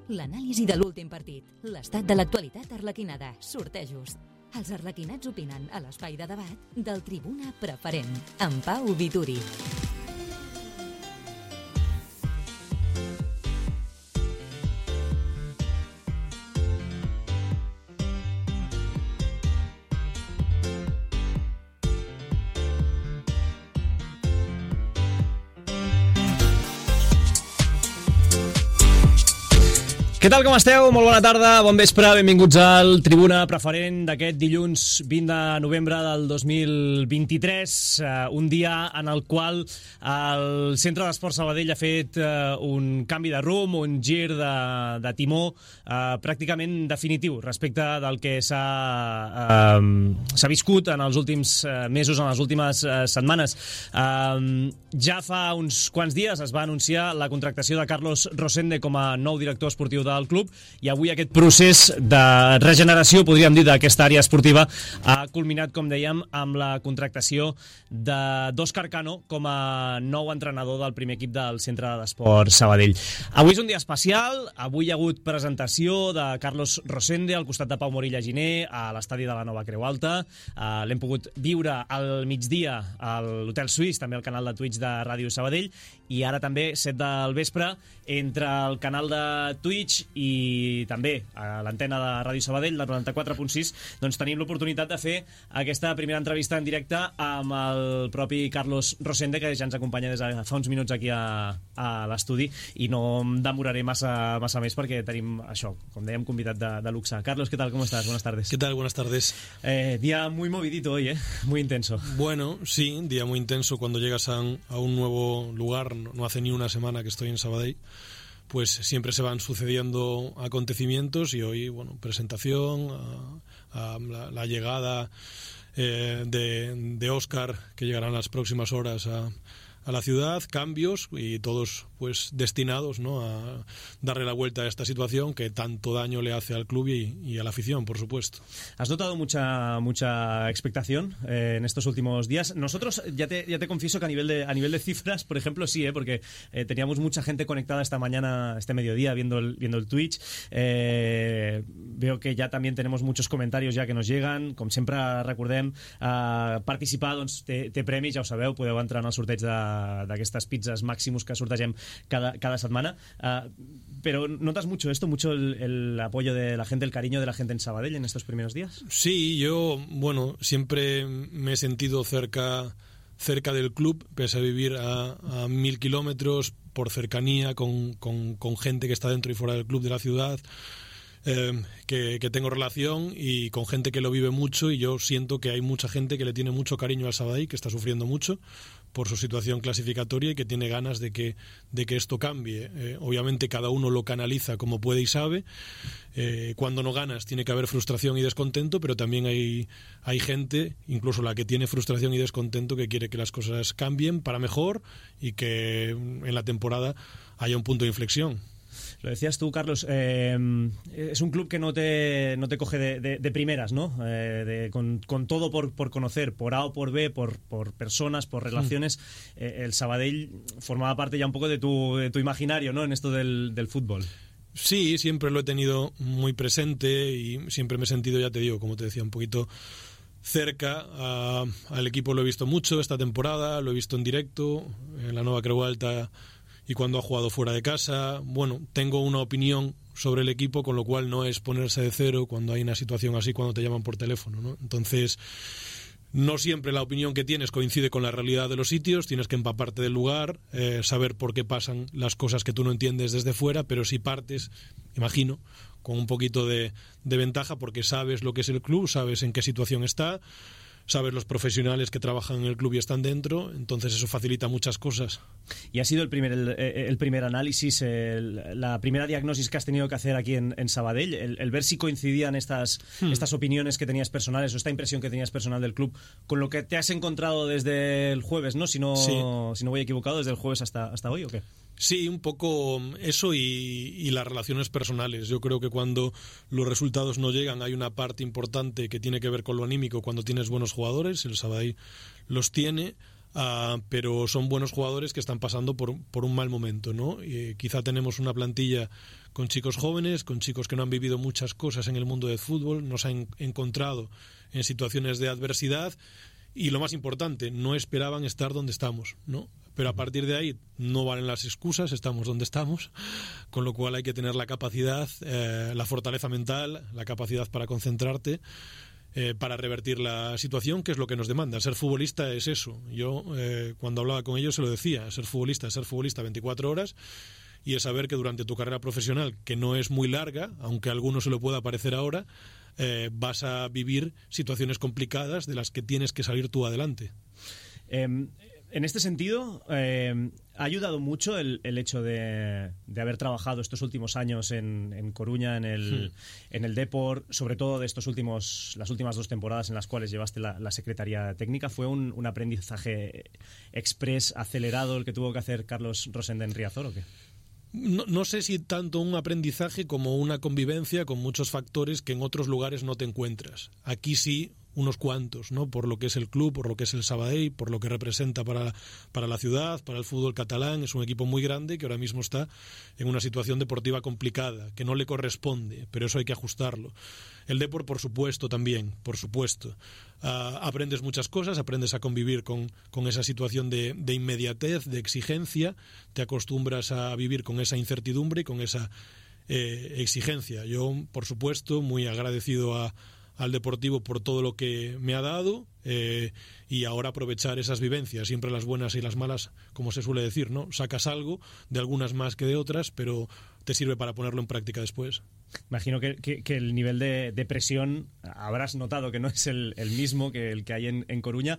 l'anàlisi de l'últim partit, l'estat de l'actualitat arlequinada, sortejos. Els arlequinats opinen a l'espai de debat del Tribuna Preferent, amb Pau Vituri. Què tal, com esteu? Molt bona tarda, bon vespre, benvinguts al Tribuna Preferent d'aquest dilluns 20 de novembre del 2023, un dia en el qual el Centre d'Esports Sabadell ha fet un canvi de rumb, un gir de timó pràcticament definitiu respecte del que s'ha viscut en els últims mesos, en les últimes setmanes. Ja fa uns quants dies es va anunciar la contractació de Carlos Rosende com a nou director esportiu del club, i avui aquest procés de regeneració, podríem dir, d'aquesta àrea esportiva ha culminat, com dèiem, amb la contractació d'Òscar Cano com a nou entrenador del primer equip del Centre d'Esports Sabadell. Avui és un dia especial, avui hi ha hagut presentació de Carlos Rosende al costat de Pau Morilla Giner a l'estadi de la Nova Creu Alta. L'hem pogut viure al migdia a l'Hotel Suís, també al canal de Twitch de Ràdio Sabadell, i ara també 7 del vespre entre el canal de Twitch i també a l'antena de Ràdio Sabadell, del 94.6, doncs tenim l'oportunitat de fer aquesta primera entrevista en directe amb el propi Carlos Rosende, que ja ens acompanya des de fa uns minuts aquí a l'estudi, i no em demoraré massa més perquè tenim això, com dèiem, convidat de luxe. Carlos, ¿qué tal? ¿Cómo estás? Buenas tardes. ¿Qué tal? Buenas tardes. Día muy movidito hoy, muy intenso. Bueno, sí, día muy intenso cuando llegas a un nuevo lugar. No hace ni una semana que estoy en Sabadell, pues siempre se van sucediendo acontecimientos, y hoy, bueno, presentación, la llegada de Óscar, que llegará en las próximas horas a la ciudad, cambios, y todos pues destinados, ¿no?, a darle la vuelta a esta situación que tanto daño le hace al club y a la afición, por supuesto. ¿Has notado mucha expectación en estos últimos días? Nosotros, ya te confieso que a nivel de cifras, por ejemplo, sí, porque teníamos mucha gente conectada esta mañana, este mediodía, viendo el Twitch. Veo que ja també tenemos muchos comentarios ja que nos llegan. Com sempre recordem, participar doncs, té premis, ja ho sabeu, podeu entrar en el sorteig d'aquestes pizzas Maximus que sortegem cada semana, pero ¿notas mucho esto, mucho el apoyo de la gente, el cariño de la gente en Sabadell en estos primeros días? Sí, yo, bueno, siempre me he sentido cerca del club, pese a vivir a 1000 kilómetros, por cercanía con gente que está dentro y fuera del club, de la ciudad, que tengo relación, y con gente que lo vive mucho, y yo siento que hay mucha gente que le tiene mucho cariño al Sabadell, que está sufriendo mucho por su situación clasificatoria y que tiene ganas de que esto cambie. Obviamente cada uno lo canaliza como puede y sabe. Cuando no ganas tiene que haber frustración y descontento, pero también hay gente, incluso la que tiene frustración y descontento, que quiere que las cosas cambien para mejor y que en la temporada haya un punto de inflexión. Lo decías tú, Carlos, es un club que no te coge de primeras, ¿no? Con todo por conocer, por A o por B, por personas, por relaciones. El Sabadell formaba parte ya un poco de tu imaginario, ¿no?, en esto del fútbol. Sí, siempre lo he tenido muy presente y siempre me he sentido, ya te digo, como te decía, un poquito cerca. Al equipo lo he visto mucho esta temporada, lo he visto en directo, en la Nova Creu Alta, y cuando ha jugado fuera de casa. Bueno, tengo una opinión sobre el equipo, con lo cual no es ponerse de cero cuando hay una situación así, cuando te llaman por teléfono, ¿no? Entonces, no siempre la opinión que tienes coincide con la realidad de los sitios, tienes que empaparte del lugar, saber por qué pasan las cosas que tú no entiendes desde fuera, pero si partes, imagino, con un poquito de ventaja, porque sabes lo que es el club, sabes en qué situación está, sabes los profesionales que trabajan en el club y están dentro, entonces eso facilita muchas cosas. Y ha sido el primer análisis, la primera diagnosis que has tenido que hacer aquí en Sabadell, el ver si coincidían estas opiniones que tenías personales, o esta impresión que tenías personal del club, con lo que te has encontrado desde el jueves, ¿no? Si no voy equivocado, desde el jueves hasta hoy, ¿o qué? Sí, un poco eso y las relaciones personales. Yo creo que cuando los resultados no llegan hay una parte importante que tiene que ver con lo anímico. Cuando tienes buenos jugadores, el Sabadell los tiene. pero son buenos jugadores que están pasando por un mal momento, ¿no? Quizá tenemos una plantilla con chicos jóvenes, con chicos que no han vivido muchas cosas en el mundo del fútbol, nos han encontrado en situaciones de adversidad y, lo más importante, no esperaban estar donde estamos, ¿no? Pero a partir de ahí no valen las excusas, estamos donde estamos, con lo cual hay que tener la capacidad, la fortaleza mental, la capacidad para concentrarte, para revertir la situación, que es lo que nos demanda. Ser futbolista es eso. Yo, cuando hablaba con ellos, se lo decía: ser futbolista es ser futbolista 24 horas, y es saber que durante tu carrera profesional, que no es muy larga, aunque a alguno se lo pueda parecer ahora, vas a vivir situaciones complicadas de las que tienes que salir tú adelante. En este sentido, ¿ha ayudado mucho el hecho de haber trabajado estos últimos años en Coruña, en el Depor, sobre todo de las últimas 2 temporadas en las cuales llevaste la Secretaría Técnica? ¿Fue un aprendizaje express, acelerado, el que tuvo que hacer Carlos Rosende en Riazor o qué? No sé si tanto un aprendizaje como una convivencia con muchos factores que en otros lugares no te encuentras. Aquí sí, unos cuantos, ¿no? Por lo que es el club, por lo que es el Sabadell, por lo que representa para la ciudad, para el fútbol catalán. Es un equipo muy grande que ahora mismo está en una situación deportiva complicada, que no le corresponde, pero eso hay que ajustarlo. El Depor, por supuesto, también, por supuesto. Aprendes muchas cosas, aprendes a convivir con esa situación de inmediatez, de exigencia, te acostumbras a vivir con esa incertidumbre y con esa exigencia. Yo, por supuesto, muy agradecido al Deportivo por todo lo que me ha dado, y ahora aprovechar esas vivencias, siempre las buenas y las malas, como se suele decir, ¿no? Sacas algo, de algunas más que de otras, pero te sirve para ponerlo en práctica después. Imagino que el nivel de presión habrás notado que no es el mismo que el que hay en Coruña,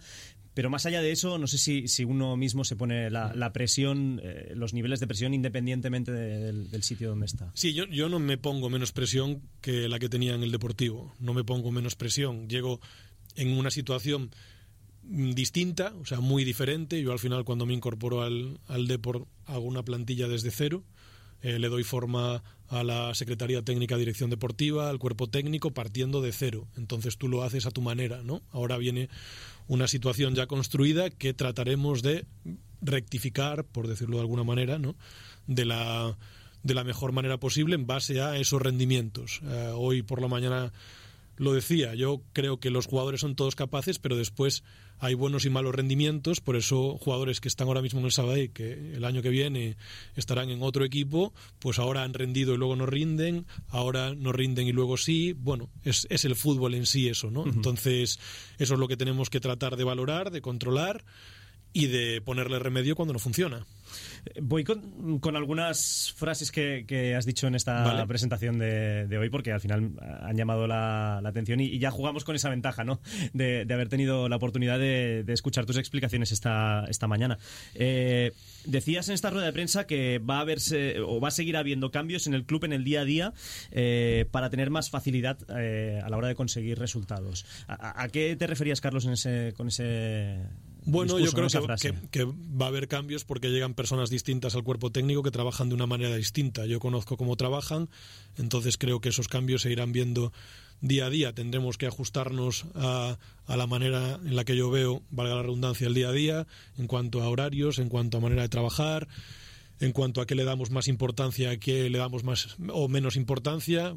pero más allá de eso, no sé si uno mismo se pone la presión, los niveles de presión, independientemente del sitio donde está. Sí, yo no me pongo menos presión que la que tenía en el Deportivo, no me pongo menos presión, llego en una situación distinta, o sea, muy diferente. Yo al final, cuando me incorporo al Depor, hago una plantilla desde cero, le doy forma a la Secretaría Técnica, Dirección Deportiva, al cuerpo técnico, partiendo de cero. Entonces tú lo haces a tu manera, ¿no? Ahora viene una situación ya construida que trataremos de rectificar, por decirlo de alguna manera, ¿no? De la mejor manera posible en base a esos rendimientos. Hoy por la mañana lo decía, yo creo que los jugadores son todos capaces, pero después hay buenos y malos rendimientos. Por eso jugadores que están ahora mismo en el Sabadell, que el año que viene estarán en otro equipo, pues ahora han rendido y luego no rinden, ahora no rinden y luego sí. Bueno, es el fútbol en sí eso, ¿no? Uh-huh. Entonces eso es lo que tenemos que tratar de valorar, de controlar y de ponerle remedio cuando no funciona. Voy con algunas frases que has dicho en esta presentación de hoy, porque al final han llamado la atención y ya jugamos con esa ventaja, ¿no? de haber tenido la oportunidad de escuchar tus explicaciones esta mañana. Decías en esta rueda de prensa que va a seguir habiendo cambios en el club en el día a día para tener más facilidad a la hora de conseguir resultados. ¿A qué te referías, Carlos, con ese Bueno, discurso, yo creo que va a haber cambios porque llegan personas distintas al cuerpo técnico que trabajan de una manera distinta. Yo conozco cómo trabajan, entonces creo que esos cambios se irán viendo día a día. Tendremos que ajustarnos a la manera en la que yo veo, valga la redundancia, el día a día, en cuanto a horarios, en cuanto a manera de trabajar, en cuanto a qué le damos más importancia, a qué le damos más o menos importancia.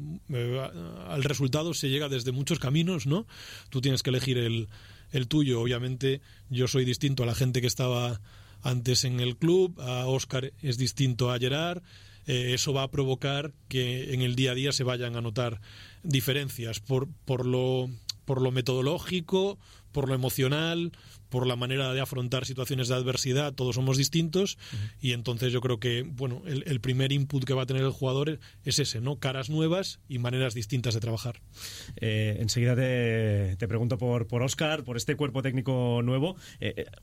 Al resultado se llega desde muchos caminos, ¿no? Tú tienes que elegir el tuyo. Obviamente yo soy distinto a la gente que estaba antes en el club, a Óscar es distinto a Gerard. Eso va a provocar que en el día a día se vayan a notar diferencias por lo metodológico, por lo emocional, por la manera de afrontar situaciones de adversidad. Todos somos distintos. Uh-huh. Y entonces yo creo que bueno, el primer input que va a tener el jugador es ese, ¿no? Caras nuevas y maneras distintas de trabajar. Enseguida te pregunto por Óscar, por este cuerpo técnico nuevo.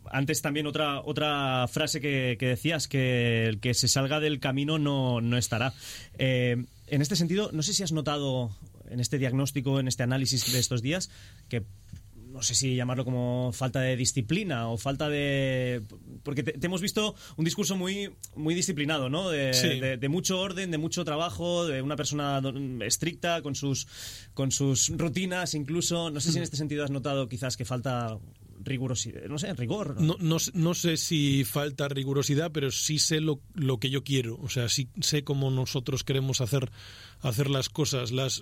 Antes también otra frase que decías, que el que se salga del camino no estará. En este sentido, no sé si has notado en este diagnóstico, en este análisis de estos días, que no sé si llamarlo como falta de disciplina o falta de... Porque te hemos visto un discurso muy, muy disciplinado, ¿no? De mucho orden, de mucho trabajo, de una persona estricta con sus rutinas incluso. No sé si en este sentido has notado quizás que falta rigurosidad, no sé, rigor. No sé si falta rigurosidad, pero sí sé lo que yo quiero. O sea, sí sé cómo nosotros queremos hacer las cosas. Las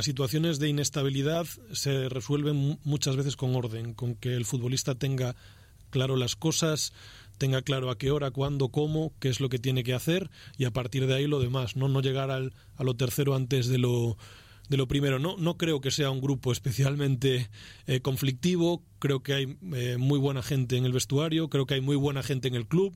situaciones de inestabilidad se resuelven muchas veces con orden, con que el futbolista tenga claro las cosas, tenga claro a qué hora, cuándo, cómo, qué es lo que tiene que hacer, y a partir de ahí lo demás, no llegar a lo tercero antes de lo primero. No creo que sea un grupo especialmente conflictivo. Creo que hay muy buena gente en el vestuario, creo que hay muy buena gente en el club,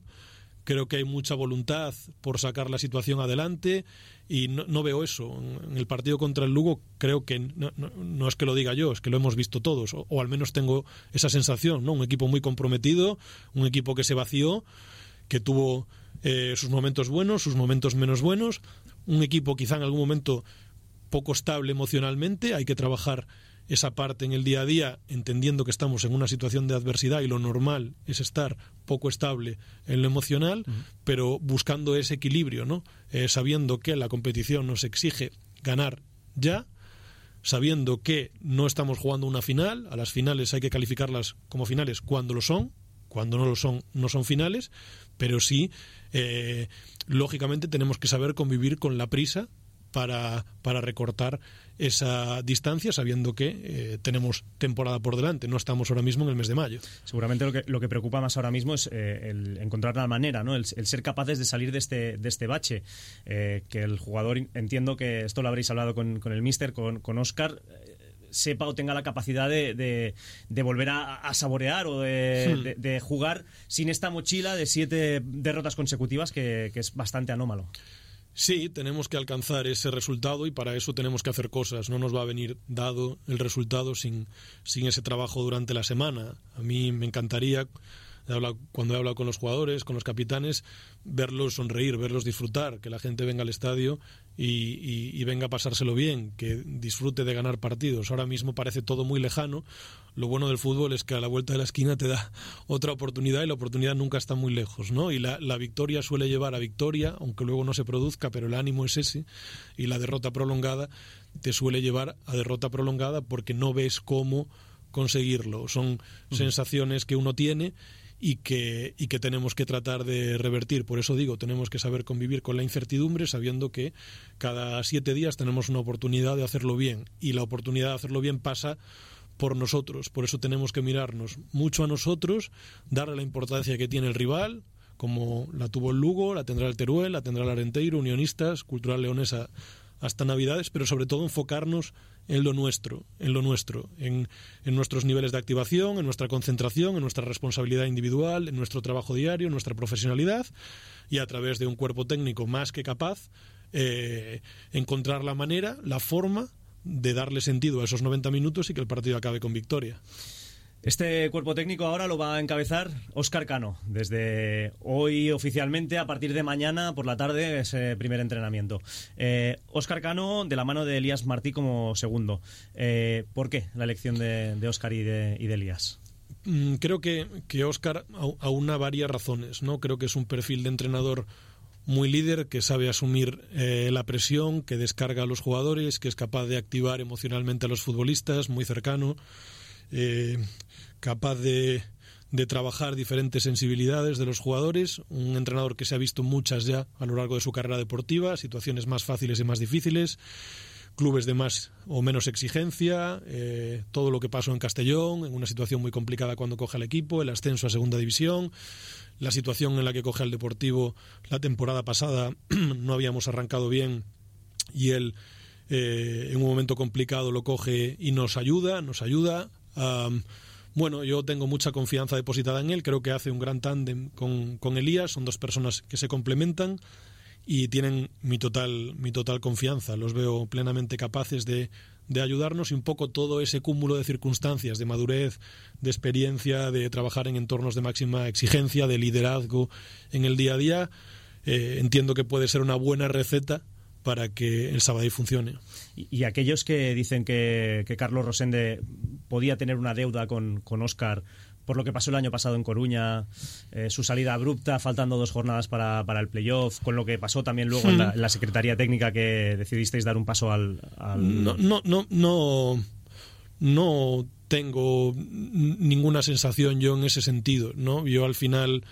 creo que hay mucha voluntad por sacar la situación adelante, y no veo eso. En el partido contra el Lugo creo que no es que lo diga yo, es que lo hemos visto todos, o al menos tengo esa sensación, ¿no? Un equipo muy comprometido, un equipo que se vació, que tuvo sus momentos buenos, sus momentos menos buenos, un equipo quizá en algún momento poco estable emocionalmente. Hay que trabajar esa parte en el día a día, entendiendo que estamos en una situación de adversidad y lo normal es estar poco estable en lo emocional, pero buscando ese equilibrio, ¿no? Sabiendo que la competición nos exige ganar ya, sabiendo que no estamos jugando una final. A las finales hay que calificarlas como finales cuando lo son, cuando no lo son, no son finales, pero sí, lógicamente tenemos que saber convivir con la prisa para recortar esa distancia, sabiendo que tenemos temporada por delante. No estamos ahora mismo en el mes de mayo. Seguramente lo que preocupa más ahora mismo es el encontrar la manera, ¿no? El ser capaces de salir de este bache. Que el jugador, entiendo que esto lo habréis hablado con el míster, con Óscar, sepa o tenga la capacidad de volver a saborear o de jugar sin esta mochila de 7 derrotas consecutivas, que es bastante anómalo. Sí, tenemos que alcanzar ese resultado, y para eso tenemos que hacer cosas. No nos va a venir dado el resultado sin ese trabajo durante la semana. A mí me encantaría, cuando he hablado con los jugadores, con los capitanes, verlos sonreír, verlos disfrutar, que la gente venga al estadio y venga a pasárselo bien, que disfrute de ganar partidos. Ahora mismo parece todo muy lejano. Lo bueno del fútbol es que a la vuelta de la esquina te da otra oportunidad, y la oportunidad nunca está muy lejos, ¿no? Y la victoria suele llevar a victoria, aunque luego no se produzca, pero el ánimo es ese, y la derrota prolongada te suele llevar a derrota prolongada porque no ves cómo conseguirlo. Son sensaciones que uno tiene y que tenemos que tratar de revertir. Por eso digo, tenemos que saber convivir con la incertidumbre, sabiendo que cada 7 días tenemos una oportunidad de hacerlo bien, y la oportunidad de hacerlo bien pasa por nosotros. Por eso tenemos que mirarnos mucho a nosotros, darle la importancia que tiene el rival, como la tuvo el Lugo, la tendrá el Teruel, la tendrá el Arenteiro, Unionistas, Cultural Leonesa hasta Navidades, pero sobre todo enfocarnos en lo nuestro, en nuestros niveles de activación, en nuestra concentración, en nuestra responsabilidad individual, en nuestro trabajo diario, en nuestra profesionalidad, y a través de un cuerpo técnico más que capaz, encontrar la manera, la forma de darle sentido a esos 90 minutos y que el partido acabe con victoria. Este cuerpo técnico ahora lo va a encabezar Óscar Cano. Desde hoy oficialmente, a partir de mañana por la tarde, ese primer entrenamiento. Óscar Cano de la mano de Elías Martí como segundo. ¿Por qué la elección de Óscar y de Elías? Creo que Óscar aúna varias razones, ¿no? Creo que es un perfil de entrenador muy líder, que sabe asumir la presión, que descarga a los jugadores, que es capaz de activar emocionalmente a los futbolistas, muy cercano, capaz de trabajar diferentes sensibilidades de los jugadores, un entrenador que se ha visto muchas ya a lo largo de su carrera deportiva, situaciones más fáciles y más difíciles, clubes de más o menos exigencia, todo lo que pasó en Castellón, en una situación muy complicada cuando coge al equipo, el ascenso a segunda división, la situación en la que coge al Deportivo la temporada pasada, no habíamos arrancado bien, y él en un momento complicado lo coge y nos ayuda. Bueno, yo tengo mucha confianza depositada en él, creo que hace un gran tándem con Elías, son dos personas que se complementan y tienen mi total confianza. Los veo plenamente capaces de ayudarnos, y un poco todo ese cúmulo de circunstancias, de madurez, de experiencia, de trabajar en entornos de máxima exigencia, de liderazgo en el día a día, entiendo que puede ser una buena receta para que el Sabadell funcione. Y aquellos que dicen que Carlos Rosende podía tener una deuda con Óscar por lo que pasó el año pasado en Coruña, su salida abrupta, faltando 2 jornadas para el playoff, con lo que pasó también luego en la Secretaría Técnica, que decidisteis dar un paso al... no tengo ninguna sensación yo en ese sentido, ¿no? Yo al final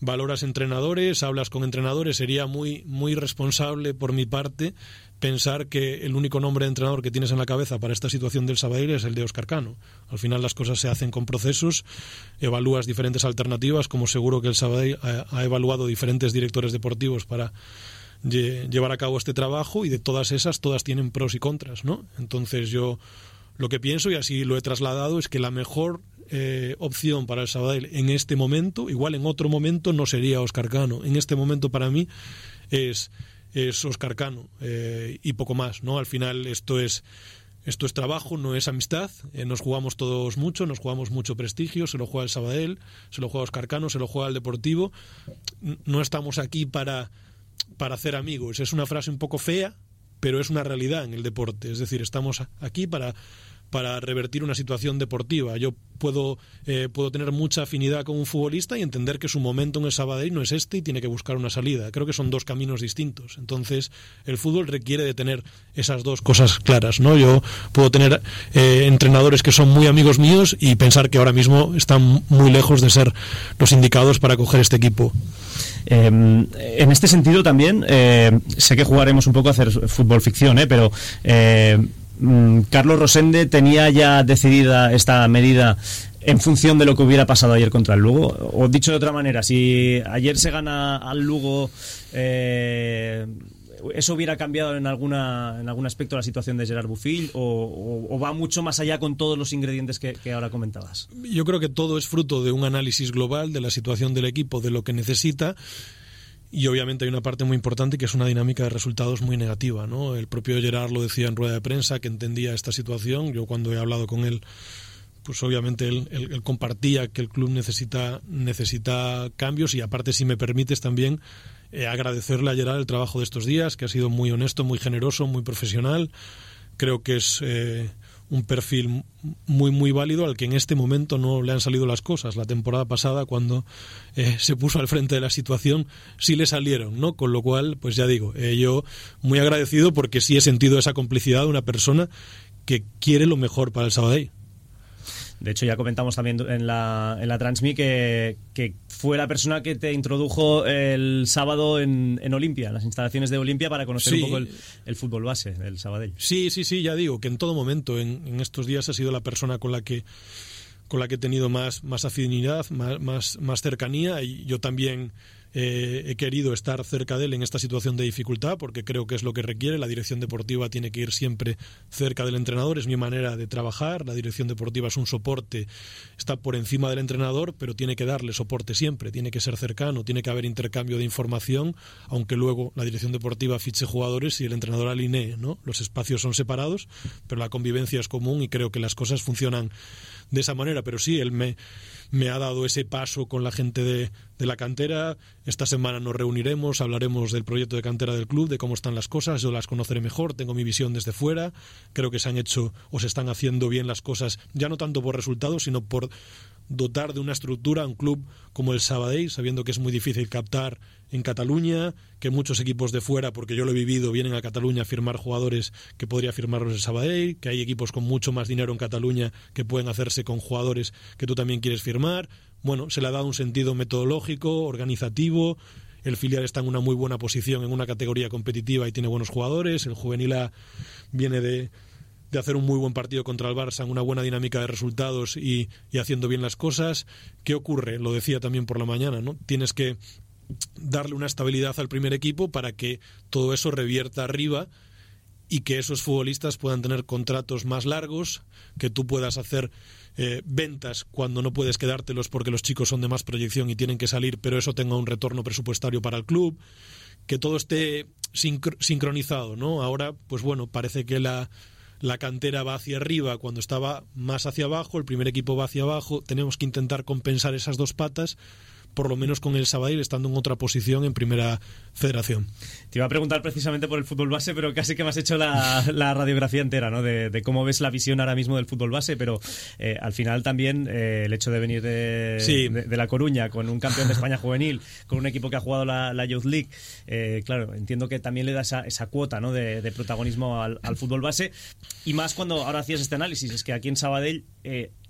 valoras entrenadores, hablas con entrenadores, sería muy responsable por mi parte pensar que el único nombre de entrenador que tienes en la cabeza para esta situación del Sabadell es el de Óscar Cano. Al final las cosas se hacen con procesos, evalúas diferentes alternativas, como seguro que el Sabadell ha evaluado diferentes directores deportivos para llevar a cabo este trabajo, y de todas esas, todas tienen pros y contras, ¿no? Entonces yo lo que pienso, y así lo he trasladado, es que la mejor opción para el Sabadell en este momento, igual en otro momento no sería Óscar Cano, en este momento para mí es Óscar Cano, y poco más, ¿no? Al final esto es trabajo, no es amistad, nos jugamos todos mucho, nos jugamos mucho prestigio, se lo juega el Sabadell, se lo juega Óscar Cano, se lo juega el Deportivo, no estamos aquí para hacer amigos. Es una frase un poco fea, pero es una realidad en el deporte, es decir, estamos aquí para revertir una situación deportiva. Yo puedo tener mucha afinidad con un futbolista y entender que su momento en el Sabadell no es este y tiene que buscar una salida. Creo que son dos caminos distintos. Entonces, el fútbol requiere de tener esas dos cosas claras, ¿no? Yo puedo tener entrenadores que son muy amigos míos y pensar que ahora mismo están muy lejos de ser los indicados para coger este equipo. En este sentido también, sé que jugaremos un poco a hacer fútbol ficción, pero Carlos Rosende tenía ya decidida esta medida en función de lo que hubiera pasado ayer contra el Lugo, o dicho de otra manera, si ayer se gana al Lugo, ¿eso hubiera cambiado en algún aspecto la situación de Gerard Bofill, o va mucho más allá con todos los ingredientes que ahora comentabas? Yo creo que todo es fruto de un análisis global de la situación del equipo, de lo que necesita. Y obviamente hay una parte muy importante que es una dinámica de resultados muy negativa, ¿no? El propio Gerard lo decía en rueda de prensa, que entendía esta situación. Yo cuando he hablado con él, pues obviamente él compartía que el club necesita cambios, y aparte, si me permites también agradecerle a Gerard el trabajo de estos días, que ha sido muy honesto, muy generoso, muy profesional. Creo que es un perfil muy válido al que en este momento no le han salido las cosas. La temporada pasada, cuando se puso al frente de la situación, sí le salieron, ¿no? Con lo cual, pues ya digo, yo muy agradecido, porque sí he sentido esa complicidad de una persona que quiere lo mejor para el Sabadell. De hecho, ya comentamos también en la Transmi que fue la persona que te introdujo el sábado en Olimpia, en las instalaciones de Olimpia, para conocer un poco el fútbol base del Sabadell. Sí, ya digo, que en todo momento, en estos días, ha sido la persona con la que he tenido más afinidad, más cercanía, y yo también he querido estar cerca de él en esta situación de dificultad, porque creo que es lo que requiere. La dirección deportiva tiene que ir siempre cerca del entrenador, es mi manera de trabajar. La dirección deportiva es un soporte, está por encima del entrenador, pero tiene que darle soporte siempre, tiene que ser cercano, tiene que haber intercambio de información, aunque luego la dirección deportiva fiche jugadores y el entrenador alinee, ¿no? Los espacios son separados, pero la convivencia es común, y creo que las cosas funcionan de esa manera. Pero sí, él me ha dado ese paso con la gente de la cantera. Esta semana nos reuniremos, hablaremos del proyecto de cantera del club, de cómo están las cosas. Yo las conoceré mejor, tengo mi visión desde fuera. Creo que se han hecho o se están haciendo bien las cosas, ya no tanto por resultados, sino por dotar de una estructura a un club como el Sabadell, sabiendo que es muy difícil captar en Cataluña, que muchos equipos de fuera, porque yo lo he vivido, vienen a Cataluña a firmar jugadores que podría firmarlos el Sabadell, que hay equipos con mucho más dinero en Cataluña que pueden hacerse con jugadores que tú también quieres firmar. Bueno, se le ha dado un sentido metodológico, organizativo. El filial está en una muy buena posición en una categoría competitiva y tiene buenos jugadores. El juvenil A viene de hacer un muy buen partido contra el Barça, en una buena dinámica de resultados y haciendo bien las cosas. ¿Qué ocurre? Lo decía también por la mañana, ¿no? Tienes que darle una estabilidad al primer equipo para que todo eso revierta arriba y que esos futbolistas puedan tener contratos más largos, que tú puedas hacer ventas cuando no puedes quedártelos porque los chicos son de más proyección y tienen que salir, pero eso tenga un retorno presupuestario para el club, que todo esté sincronizado, ¿no? Ahora, pues bueno, parece que la cantera va hacia arriba cuando estaba más hacia abajo, el primer equipo va hacia abajo. Tenemos que intentar compensar esas dos patas por lo menos con el Sabadell estando en otra posición en Primera Federación. Te iba a preguntar precisamente por el fútbol base, pero casi que me has hecho la radiografía entera, ¿no? De cómo ves la visión ahora mismo del fútbol base, pero al final también el hecho de venir de La Coruña con un campeón de España juvenil, con un equipo que ha jugado la Youth League, claro, entiendo que también le da esa cuota, ¿no? de protagonismo al fútbol base, y más cuando ahora hacías este análisis, es que aquí en Sabadell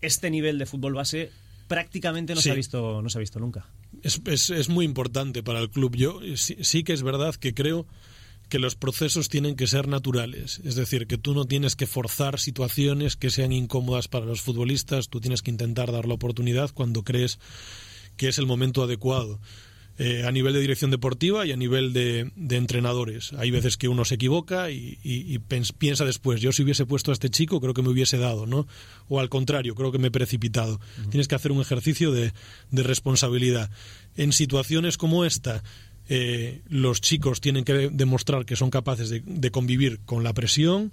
este nivel de fútbol base prácticamente no se ha visto nunca. Es muy importante para el club. Yo sí que es verdad que creo que los procesos tienen que ser naturales, es decir, que tú no tienes que forzar situaciones que sean incómodas para los futbolistas, tú tienes que intentar dar la oportunidad cuando crees que es el momento adecuado. A nivel de dirección deportiva y a nivel de entrenadores. Hay veces que uno se equivoca y piensa después, yo si hubiese puesto a este chico creo que me hubiese dado, ¿no? O al contrario, creo que me he precipitado. Tienes que hacer un ejercicio de responsabilidad. En situaciones como esta, los chicos tienen que demostrar que son capaces de convivir con la presión,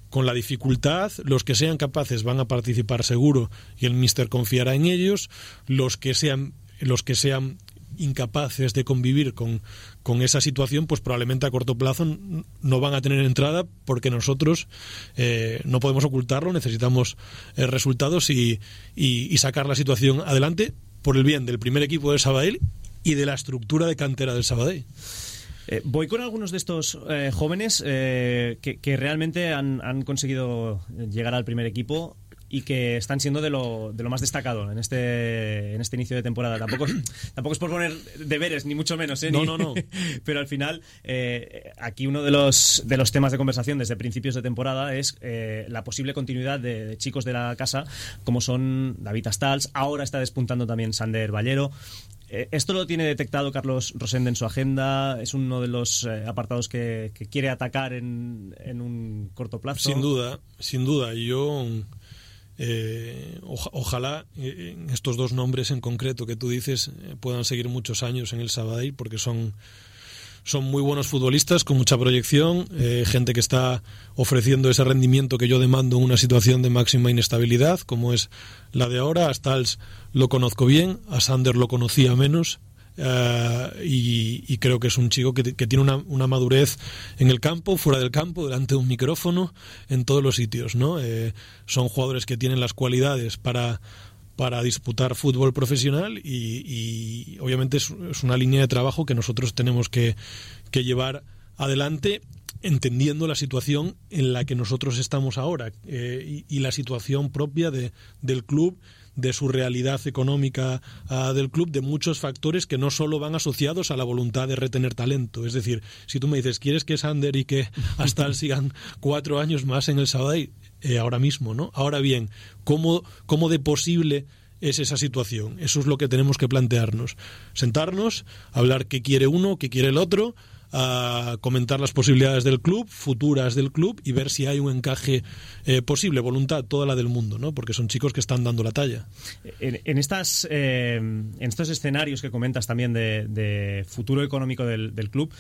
con la dificultad. Los que sean capaces van a participar seguro y el míster confiará en ellos. Los que sean incapaces de convivir con esa situación, pues probablemente a corto plazo no van a tener entrada, porque nosotros no podemos ocultarlo, necesitamos resultados y sacar la situación adelante por el bien del primer equipo del Sabadell y de la estructura de cantera del Sabadell. Voy con algunos de estos jóvenes que realmente han conseguido llegar al primer equipo y que están siendo de lo más destacado en este inicio de temporada. Tampoco es por poner deberes, ni mucho menos, No. Pero al final, aquí uno de los temas de conversación desde principios de temporada es la posible continuidad de chicos de la casa, como son David Astals, ahora está despuntando también Sander Ballero. ¿Esto lo tiene detectado Carlos Rosende en su agenda? ¿Es uno de los apartados que quiere atacar en un corto plazo? Sin duda. Yo... ojalá estos dos nombres en concreto que tú dices puedan seguir muchos años en el Sabadell, porque son muy buenos futbolistas con mucha proyección, gente que está ofreciendo ese rendimiento que yo demando en una situación de máxima inestabilidad como es la de ahora. A Stals lo conozco bien, a Sander lo conocía menos. Y creo que es un chico que tiene una madurez en el campo, fuera del campo, delante de un micrófono, en todos los sitios, ¿no? Son jugadores que tienen las cualidades para disputar fútbol profesional y obviamente es una línea de trabajo que nosotros tenemos que llevar adelante, entendiendo la situación en la que nosotros estamos ahora y la situación propia del club, de su realidad económica del club, de muchos factores que no solo van asociados a la voluntad de retener talento. Es decir, si tú me dices, ¿quieres que Sander y que Astal sigan 4 años más en el Sabadell? Ahora mismo, ¿no? Ahora bien, ¿cómo de posible es esa situación? Eso es lo que tenemos que plantearnos. Sentarnos, hablar qué quiere uno, qué quiere el otro, a comentar las posibilidades del club, futuras del club, y ver si hay un encaje posible. Voluntad toda la del mundo, ¿no? Porque son chicos que están dando la talla. En estos escenarios que comentas también de futuro económico del club,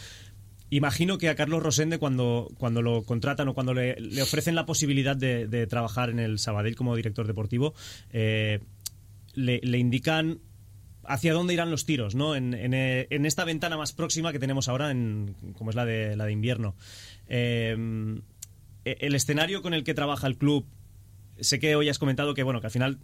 imagino que a Carlos Rosende cuando lo contratan o cuando le ofrecen la posibilidad de trabajar en el Sabadell como director deportivo, le indican hacia dónde irán los tiros, ¿no? En esta ventana más próxima que tenemos ahora, como es la de invierno. El escenario con el que trabaja el club, sé que hoy has comentado que al final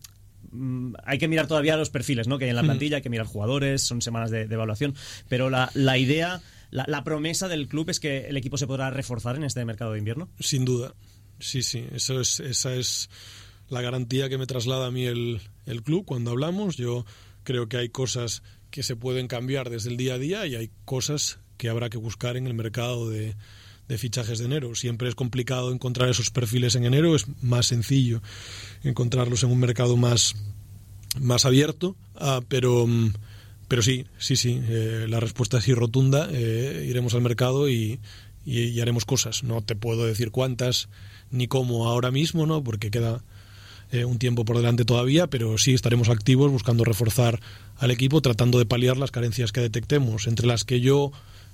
hay que mirar todavía los perfiles, ¿no? Que hay en la plantilla, hay que mirar jugadores, son semanas de evaluación, pero la idea, la promesa del club es que el equipo se podrá reforzar en este mercado de invierno. Sin duda, sí, esa es la garantía que me traslada a mí el club cuando hablamos. Yo creo que hay cosas que se pueden cambiar desde el día a día y hay cosas que habrá que buscar en el mercado de fichajes de enero. Siempre es complicado encontrar esos perfiles en enero, es más sencillo encontrarlos en un mercado más abierto, pero sí, la respuesta es sí rotunda. Iremos al mercado y haremos cosas. No te puedo decir cuántas ni cómo ahora mismo, ¿no? Porque queda un tiempo por delante todavía, pero sí estaremos activos buscando reforzar al equipo, tratando de paliar las carencias que detectemos, entre las que yo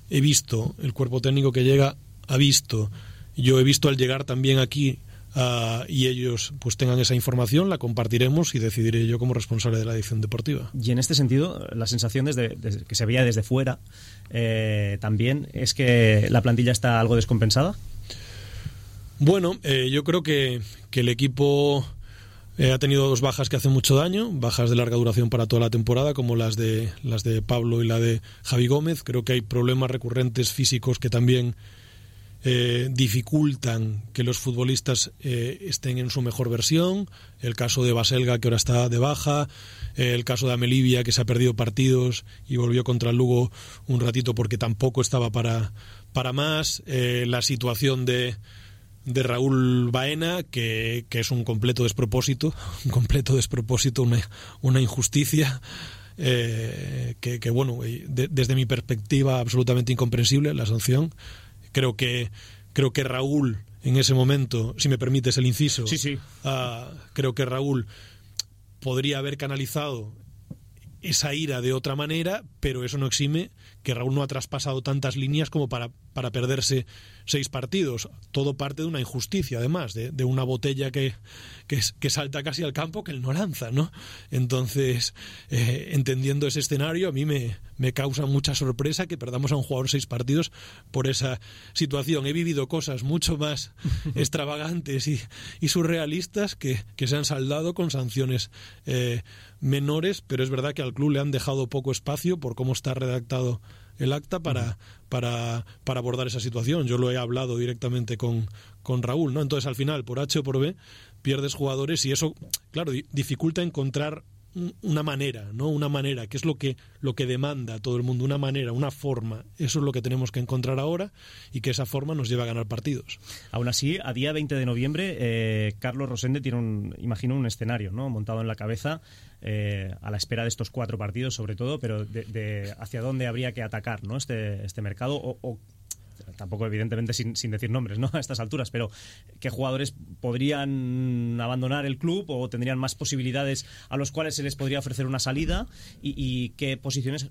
he visto, el cuerpo técnico que llega ha visto, yo he visto al llegar también aquí y ellos pues tengan esa información, la compartiremos y decidiré yo como responsable de la dirección deportiva. Y en este sentido, la sensación desde que se veía desde fuera también es que la plantilla está algo descompensada. Bueno, yo creo que el equipo ha tenido 2 bajas que hacen mucho daño, bajas de larga duración para toda la temporada, como las de Pablo y la de Javi Gómez. Creo que hay problemas recurrentes físicos que también dificultan que los futbolistas estén en su mejor versión. El caso de Baselga, que ahora está de baja, el caso de Amelivia, que se ha perdido partidos y volvió contra el Lugo un ratito porque tampoco estaba para más, la situación de Raúl Baena, que es un completo despropósito, una injusticia, que bueno, desde mi perspectiva absolutamente incomprensible la sanción. Creo que Raúl en ese momento, si me permites el inciso, sí. Creo que Raúl podría haber canalizado esa ira de otra manera, pero eso no exime que Raúl no ha traspasado tantas líneas como para perderse 6 partidos. Todo parte de una injusticia, además, de una botella que salta casi al campo que él no lanza, ¿no? Entonces, entendiendo ese escenario, a mí me causa mucha sorpresa que perdamos a un jugador 6 partidos por esa situación. He vivido cosas mucho más extravagantes y surrealistas que se han saldado con sanciones menores, pero es verdad que al club le han dejado poco espacio por cómo está redactado el acta para abordar esa situación. Yo lo he hablado directamente con Raúl, ¿no? Entonces, al final, por H o por B, pierdes jugadores y eso, claro, dificulta encontrar una manera, ¿no? Una manera, que es lo que demanda todo el mundo, una manera, una forma. Eso es lo que tenemos que encontrar ahora y que esa forma nos lleva a ganar partidos. Aún así, a día 20 de noviembre, Carlos Rosende tiene un escenario, ¿no?, montado en la cabeza, a la espera de estos 4 partidos sobre todo, pero de hacia dónde habría que atacar, ¿no?, este mercado, o tampoco evidentemente sin decir nombres, ¿no?, a estas alturas, pero qué jugadores podrían abandonar el club o tendrían más posibilidades a los cuales se les podría ofrecer una salida, y qué posiciones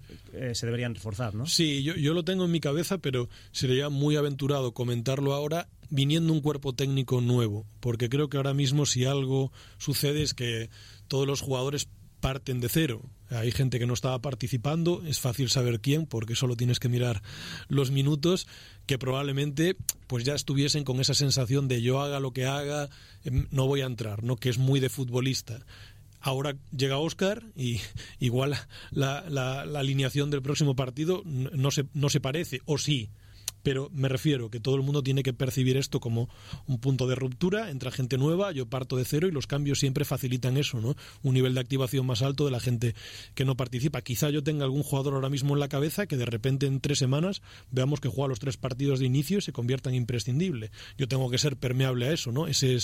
se deberían reforzar, ¿no? Sí, yo lo tengo en mi cabeza, pero sería muy aventurado comentarlo ahora viniendo un cuerpo técnico nuevo, porque creo que ahora mismo si algo sucede es que todos los jugadores parten de cero. Hay gente que no estaba participando, es fácil saber quién, porque solo tienes que mirar los minutos, que probablemente pues ya estuviesen con esa sensación de yo haga lo que haga, no voy a entrar, ¿no?, que es muy de futbolista. Ahora llega Óscar y igual la alineación del próximo partido no se parece, o sí. Pero me refiero que todo el mundo tiene que percibir esto como un punto de ruptura, entra gente nueva, yo parto de cero, y los cambios siempre facilitan eso, ¿no? Un nivel de activación más alto de la gente que no participa. Quizá yo tenga algún jugador ahora mismo en la cabeza que de repente en 3 semanas veamos que juega los 3 partidos de inicio y se convierta en imprescindible. Yo tengo que ser permeable a eso, ¿no? Ese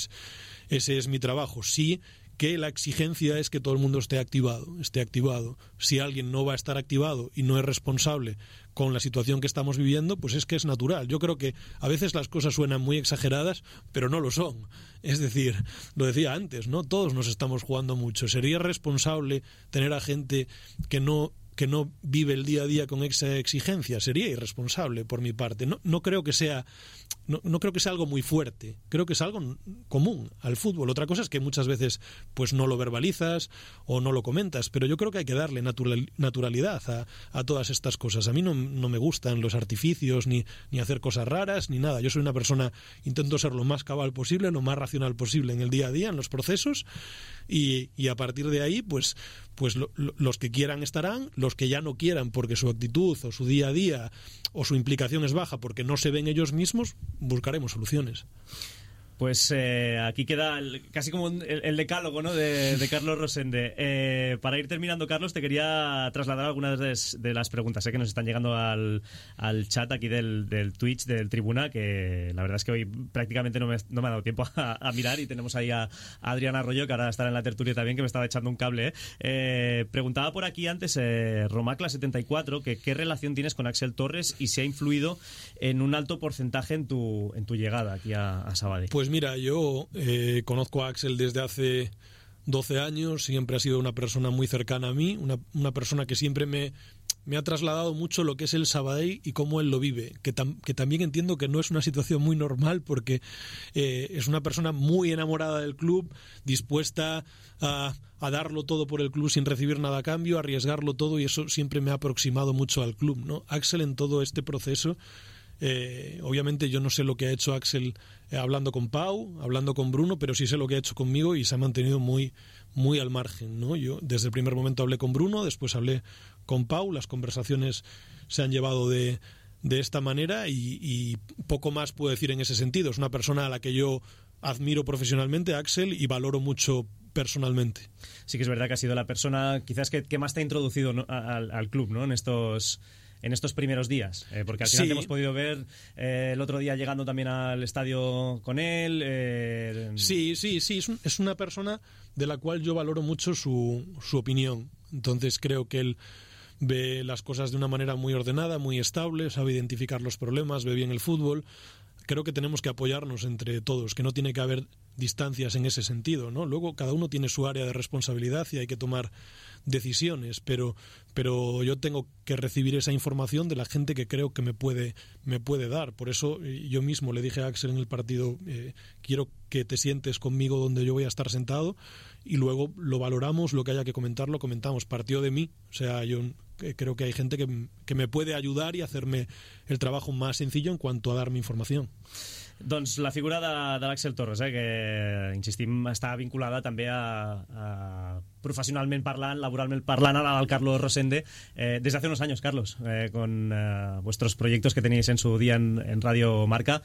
es mi trabajo. Sí, que la exigencia es que todo el mundo esté activado. Si alguien no va a estar activado y no es responsable con la situación que estamos viviendo, pues es que es natural. Yo creo que a veces las cosas suenan muy exageradas, pero no lo son. Es decir, lo decía antes, ¿no? Todos nos estamos jugando mucho. ¿Sería responsable tener a gente que no vive el día a día con esa exigencia? Sería irresponsable por mi parte. No creo que sea algo muy fuerte. Creo que es algo común al fútbol. Otra cosa es que muchas veces pues no lo verbalizas o no lo comentas, pero yo creo que hay que darle naturalidad a todas estas cosas. A mí no me gustan los artificios ni hacer cosas raras ni nada. Yo soy una persona, intento ser lo más cabal posible, lo más racional posible en el día a día, en los procesos, y a partir de ahí pues los que quieran estarán, los que ya no quieran porque su actitud o su día a día o su implicación es baja porque no se ven ellos mismos, buscaremos soluciones. Pues aquí queda casi como el decálogo, ¿no?, de Carlos Rosende. Para ir terminando, Carlos, te quería trasladar algunas de las preguntas que nos están llegando al chat aquí del Twitch del Tribuna, que la verdad es que hoy prácticamente no me ha dado tiempo a mirar, y tenemos ahí a Adrián Arroyo, que ahora estará en la tertulia también, que me estaba echando un cable. Preguntaba por aquí antes Romacla74 que qué relación tienes con Axel Torres y si ha influido en un alto porcentaje en tu llegada aquí a Sabadell. Pues mira, yo conozco a Axel desde hace 12 años, siempre ha sido una persona muy cercana a mí, una persona que siempre me me ha trasladado mucho lo que es el Sabadell y cómo él lo vive, que también entiendo que no es una situación muy normal porque es una persona muy enamorada del club, dispuesta a darlo todo por el club sin recibir nada a cambio, a arriesgarlo todo, y eso siempre me ha aproximado mucho al club, ¿no? Axel en todo este proceso, obviamente yo no sé lo que ha hecho Axel hablando con Pau, hablando con Bruno, pero sí sé lo que ha hecho conmigo y se ha mantenido muy, muy al margen, ¿no? Yo desde el primer momento hablé con Bruno, después hablé con Pau, las conversaciones se han llevado de esta manera y poco más puedo decir en ese sentido. Es una persona a la que yo admiro profesionalmente, Axel, y valoro mucho personalmente. Sí que es verdad que ha sido la persona quizás que más te ha introducido, ¿no?, al club, ¿no?, en estos primeros días, porque al final te hemos podido ver el otro día llegando también al estadio con él. Sí, es una persona de la cual yo valoro mucho su opinión. Entonces creo que él ve las cosas de una manera muy ordenada, muy estable, sabe identificar los problemas, ve bien el fútbol. Creo que tenemos que apoyarnos entre todos, que no tiene que haber distancias en ese sentido, ¿no? Luego cada uno tiene su área de responsabilidad y hay que tomar decisiones, pero yo tengo que recibir esa información de la gente que creo que me puede dar. Por eso yo mismo le dije a Axel en el partido, quiero que te sientes conmigo donde yo voy a estar sentado, y luego lo valoramos, lo que haya que comentar lo comentamos. Partió de mí, o sea, yo creo que hay gente que me puede ayudar y hacerme el trabajo más sencillo en cuanto a darme información. Doncs la figura de l'Àxel Torres, que, insistim, està vinculada també a professionalment parlant, laboralment parlant, al Carlos Rosende, desde hace unos años, Carlos, con vuestros proyectos que teníais en su día en Radio Marca.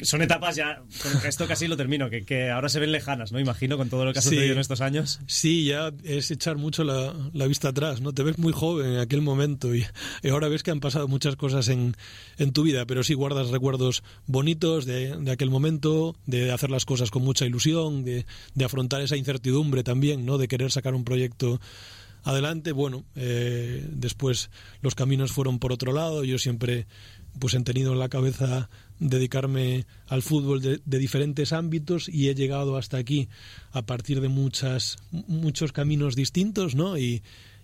Son etapas ya, con esto casi lo termino, que ahora se ven lejanas, ¿no? Imagino, con todo lo que ha sucedido en estos años. Sí, ya es echar mucho la vista atrás, ¿no? Te ves muy joven en aquel momento y ahora ves que han pasado muchas cosas en tu vida, pero sí guardas recuerdos bonitos de aquel momento, de hacer las cosas con mucha ilusión, de afrontar esa incertidumbre también, ¿no? De querer sacar un proyecto adelante. Bueno, después los caminos fueron por otro lado. Yo siempre pues he tenido en la cabeza dedicarme al fútbol de diferentes ámbitos y he llegado hasta aquí a partir de muchos caminos distintos, ¿no? Y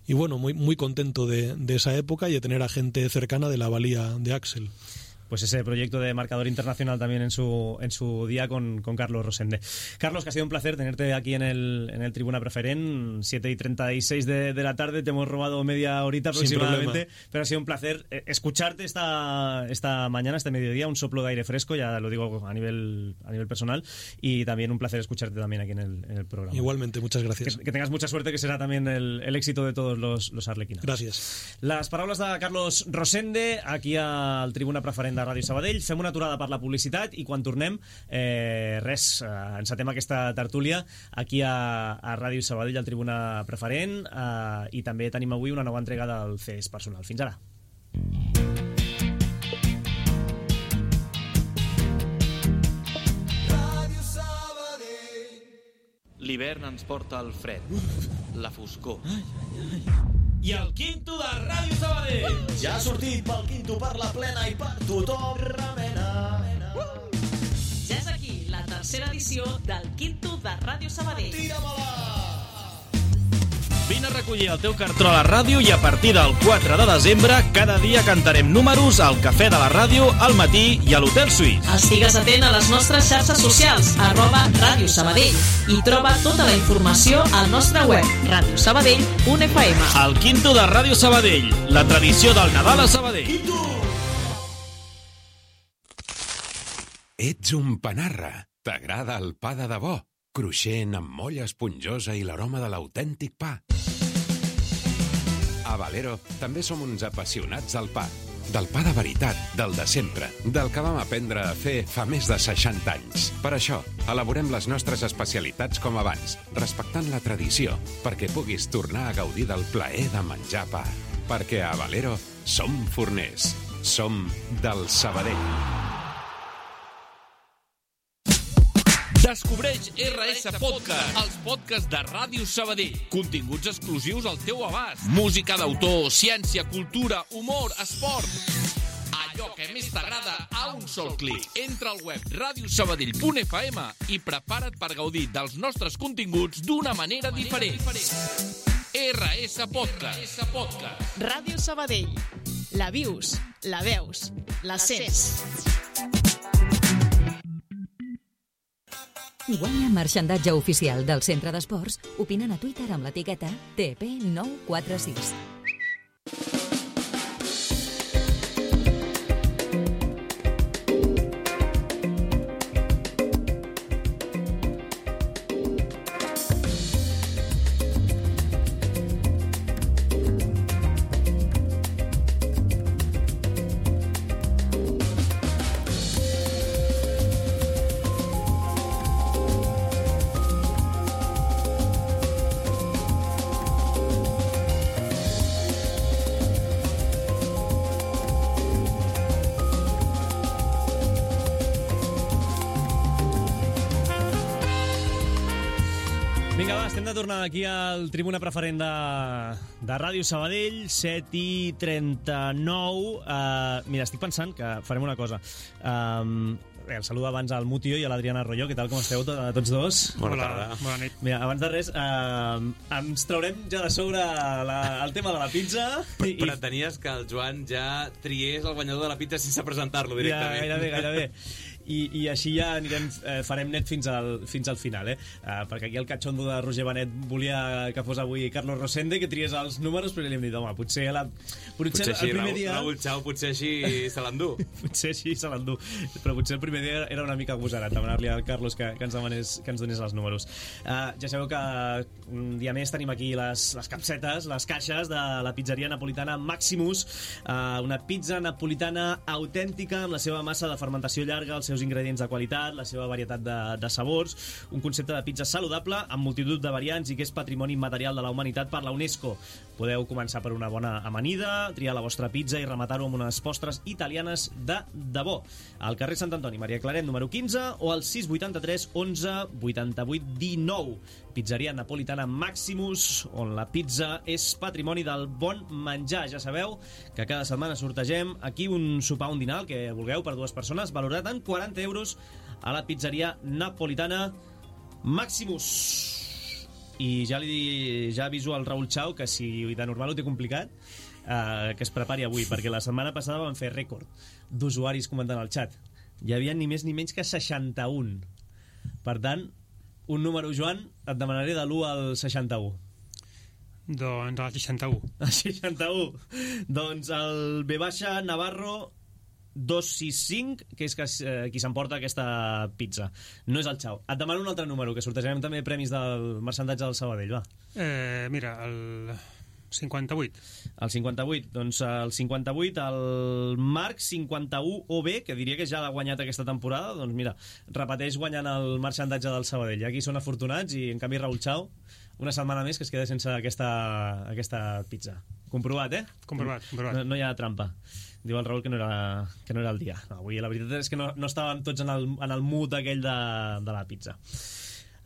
bueno, muy, muy contento de esa época y de tener a gente cercana de la valía de Axel. Pues ese proyecto de marcador internacional también en su día con Carlos Rosende. Carlos, que ha sido un placer tenerte aquí en el Tribuna Preferent, 7:36 de la tarde, te hemos robado media horita aproximadamente, pero ha sido un placer escucharte esta mañana, este mediodía, un soplo de aire fresco, ya lo digo a nivel personal, y también un placer escucharte también aquí en el programa. Igualmente, muchas gracias. Que tengas mucha suerte, que será también el éxito de todos los arlequinados. Gràcies. Les paraules de Carlos Rosende aquí al Tribuna Preferent de Ràdio Sabadell. Fem una aturada per la publicitat i quan tornem, encetem aquesta tertúlia aquí a Ràdio Sabadell, al Tribuna Preferent, i també tenim avui una nova entrega del CES Personal. Fins ara. L'hivern ens porta el fred, la foscor. I el Quinto de Ràdio Sabadell ja ha sortit pel Quinto, per la plena i per tothom. Remena. Ja és aquí la tercera edició del Quinto de Ràdio Sabadell. Tira-me-la! Vine a recollir el teu cartró a la ràdio i a partir del 4 de desembre cada dia cantarem números al Cafè de la Ràdio, al matí i a l'Hotel Suís. Estigues atent a les nostres xarxes socials, @Ràdio Sabadell, i troba tota la informació al nostre web, radiosabadell.fm. El Quinto de Ràdio Sabadell, la tradició del Nadal a Sabadell. Quinto! Ets un panarra. T'agrada el pa de debò? Cruixent, amb molla esponjosa i l'aroma de l'autèntic pa. A Valero també som uns apassionats del pa. Del pa de veritat, del de sempre, del que vam aprendre a fer fa més de 60 anys. Per això, elaborem les nostres especialitats com abans, respectant la tradició, perquè puguis tornar a gaudir del plaer de menjar pa. Perquè a Valero som forners. Som del Sabadell. Descobreix RS Podcast, els podcasts de Ràdio Sabadell. Continguts exclusius al teu abast. Música d'autor, ciència, cultura, humor, esport. Allò que més t'agrada a un sol clic. Entra al web radiosabadell.fm i prepara't per gaudir dels nostres continguts d'una manera diferent. RS Podcast. Ràdio Sabadell. La vius, la veus, la sents. Guanya marxandatge oficial del Centre d'Esports opinant a Twitter amb l'etiqueta TP946. Vinga, va, estem de tornar aquí al Tribuna Preferent de Ràdio Sabadell, 7:39. Mira, estic pensant que farem una cosa. El saludo abans al Mutio i a l'Adriana Arroyo. Què tal, com esteu tots dos? Bona tarda. Bona nit. Mira, abans de res, ens traurem ja de sobre el tema de la pizza. Pretenies que el Joan ja triés el guanyador de la pizza sense presentar-lo directament. Ja, gairebé. I així ja farem net fins al final, perquè aquí el catxondo de Roger Benet volia que fos avui Carlos Rosende, que triés els números, però li hem dit, home, potser el primer dia... Raúl Chao potser així se l'endú. Potser així se l'endú, però potser el primer dia era una mica agosarat demanar-li al Carlos que ens donés els números. Ja sabeu que un dia més tenim aquí les capsetes, les caixes de la pizzeria napolitana Maximus, una pizza napolitana autèntica amb la seva massa de fermentació llarga, els seus ingredients de qualitat, la seva varietat de sabors, un concepte de pizza saludable amb multitud de variants i que és patrimoni immaterial de la humanitat per la UNESCO. Podeu començar per una bona amanida, triar la vostra pizza i rematar-ho amb unes postres italianes de debò. Al carrer Sant Antoni, Maria Claret, número 15, o al 683 11 88 19. Pizzeria napolitana Maximus, on la pizza és patrimoni del bon menjar. Ja sabeu que cada setmana sortegem aquí un sopar, un dinar, el que vulgueu, per dues persones, valorat en 40 euros a la pizzeria napolitana Maximus. I ja aviso al Raúl Chao que si de normal ho té complicat, que es prepari avui, perquè la setmana passada vam fer rècord d'usuaris comentant al xat. Hi havia ni més ni menys que 61. Per tant, un número, Joan, et demanaré de l'1 al 61. Doncs el 61. El 61. Doncs el B Navarro 265, que és qui s'emporta aquesta pizza. No és el Xau. Et demano un altre número, que sortejarem també premis del marxandatge del Sabadell, va. Mira, el 58. El 58, doncs el 58, el Marc 51 OB, que diria que ja l'ha guanyat aquesta temporada, doncs mira, repeteix guanyant el marxandatge del Sabadell. Aquí són afortunats i en canvi Raúl Chao, una setmana més que es queda sense aquesta pizza. Comprovat, eh? Comprovat. No hi ha trampa. Diu el Raúl que no era el dia. No, avui la veritat és que no estàvem tots en el mood aquell de la pizza.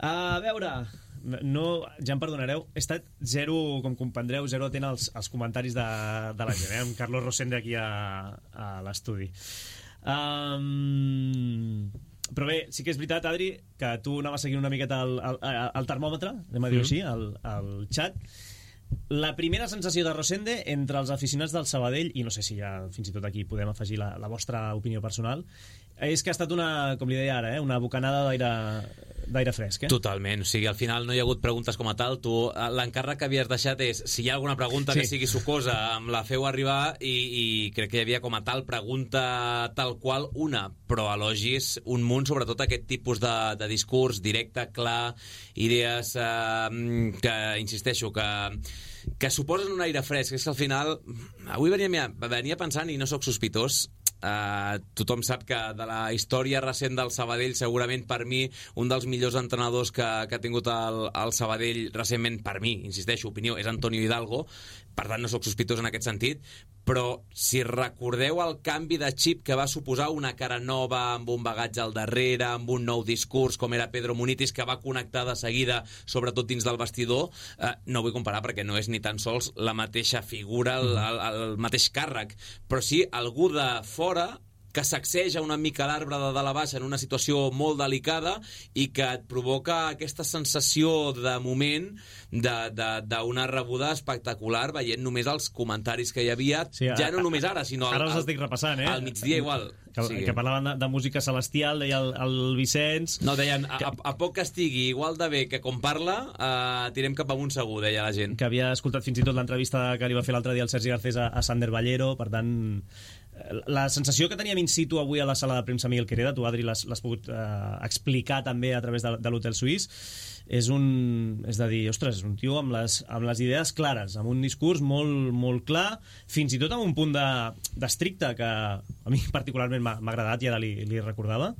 A veure... ja em perdonareu, he estat zero, com comprendreu, zero atent als comentaris de la gent, amb Carlos Rosende aquí a l'estudi. Però bé, sí que és veritat, Adri, que tu anaves seguint una miqueta el termòmetre, anem a dir-ho així, al xat. La primera sensació de Rosende entre els aficionats del Sabadell, i no sé si ja fins i tot aquí podem afegir la vostra opinió personal, és que ha estat com li deia ara, una bocanada d'aire fresc, eh? Totalment, o sigui, al final no hi ha hagut preguntes com a tal. Tu, l'encàrrec que havies deixat és, si hi ha alguna pregunta que sigui sucosa, em la feu arribar, i crec que hi havia com a tal pregunta tal qual una, però elogis un munt, sobretot aquest tipus de discurs directe, clar, idees que, insisteixo, que suposen un aire fresc. És que al final, avui venia pensant, i no sóc sospitós, tothom sap que de la història recent del Sabadell, segurament per mi un dels millors entrenadors que ha tingut el Sabadell recentment, per mi, insisteixo, opinió, és Antonio Hidalgo. Per tant no sóc sospitós en aquest sentit, però si recordeu el canvi de xip que va suposar una cara nova, amb un bagatge al darrere, amb un nou discurs, com era Pedro Munitis, que va connectar de seguida, sobretot dins del vestidor, no vull comparar perquè no és ni tan sols la mateixa figura, el mateix càrrec, però sí algú de fora que sacseja una mica l'arbre de dalt a baix en una situació molt delicada i que et provoca aquesta sensació de moment d'una rebuda espectacular veient només els comentaris que hi havia, ja no només ara, sinó ara els estic repassant, al migdia igual. Que parlaven de música celestial, deia el Vicenç... No, deien, a poc que estigui igual de bé que com parla, tirem cap amunt segur, deia la gent. Que havia escoltat fins i tot l'entrevista que li va fer l'altre dia el Sergi Garcés a Sander Ballero, per tant... La sensació que teníem in situ avui a la sala de premsa Miguel Quereda, tu, Adri, l'has pogut explicar també a través de l'Hotel Suís, és de dir, ostres, és un tio amb les idees clares, amb un discurs molt clar, fins i tot amb un punt d'estricte que a mi particularment m'ha agradat i ara li recordava,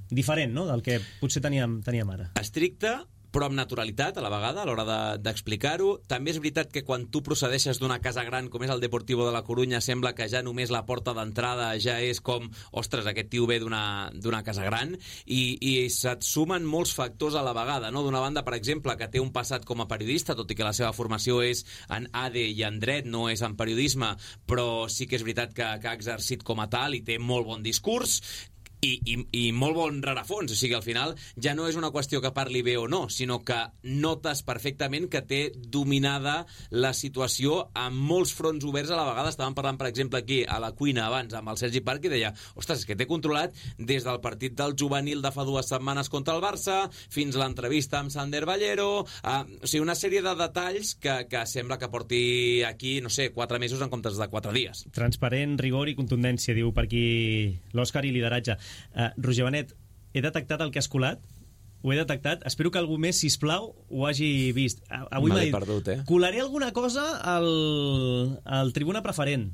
diferent, no?, del que potser teníem ara. Estricte, però amb naturalitat a la vegada a l'hora d'explicar-ho. També és veritat que quan tu procedeixes d'una casa gran com és el Deportivo de la Corunya sembla que ja només la porta d'entrada ja és com, ostres, aquest tio ve d'una casa gran i se't sumen molts factors a la vegada, no? D'una banda, per exemple, que té un passat com a periodista, tot i que la seva formació és en AD i en dret, no és en periodisme, però sí que és veritat que ha exercit com a tal i té molt bon discurs i molt bon rerefons, o sigui, al final ja no és una qüestió que parli bé o no, sinó que notes perfectament que té dominada la situació amb molts fronts oberts a la vegada. Estàvem parlant, per exemple, aquí a la cuina abans amb el Sergi Parc i deia, ostres, és que té controlat des del partit del juvenil de fa 2 setmanes contra el Barça fins a l'entrevista amb Sander Ballero, o sigui, una sèrie de detalls que sembla que porti aquí, no sé, 4 mesos en comptes de 4 dies. Transparent, rigor i contundència, diu per aquí l'Òscar, i lideratge. Roger Benet, he detectat el que has colat? Ho he detectat? Espero que algú més, sisplau, ho hagi vist. Avui m'ha dit, perdut, colaré alguna cosa al Tribuna Preferent.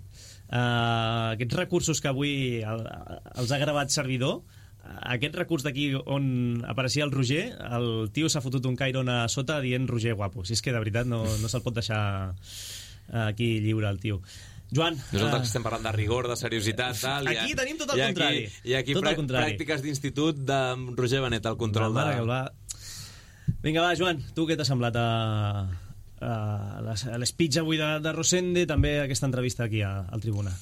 Aquests recursos que avui els ha gravat servidor, aquest recurs d'aquí on apareixia el Roger, el tio s'ha fotut un cairon a sota dient Roger guapo. Si és que de veritat no se'l pot deixar aquí lliure el tio. Joan... Nosaltres estem parlant de rigor, de seriositat, tal... Aquí tenim tot el contrari. I aquí pràctiques d'institut de Roger Benet, el control de... Vinga, va, Joan, tu què t'ha semblat a l'speech avui de Rosende, també aquesta entrevista aquí al Tribuna?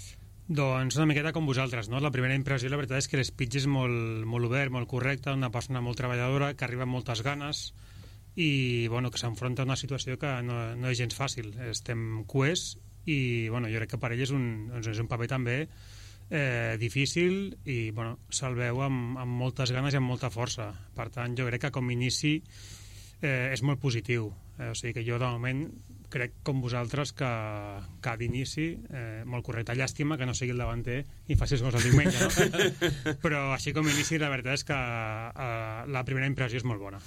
Doncs una miqueta com vosaltres, no? La primera impressió, la veritat és que l'speech és molt obert, molt correcte, una persona molt treballadora, que arriba amb moltes ganes i bueno, que s'enfronta a una situació que no és gens fàcil. Estem cuers i bueno, jo crec que per ell és un paper també difícil i bueno, se'l veu amb moltes ganes i amb molta força. Per tant, jo crec que com a inici és molt positiu. O sigui que jo de moment crec com vosaltres que d'inici molt correcte. Llàstima que no sigui el davanter i faci els gols el diumenge, no? Però així com a inici la veritat és que la primera impressió és molt bona.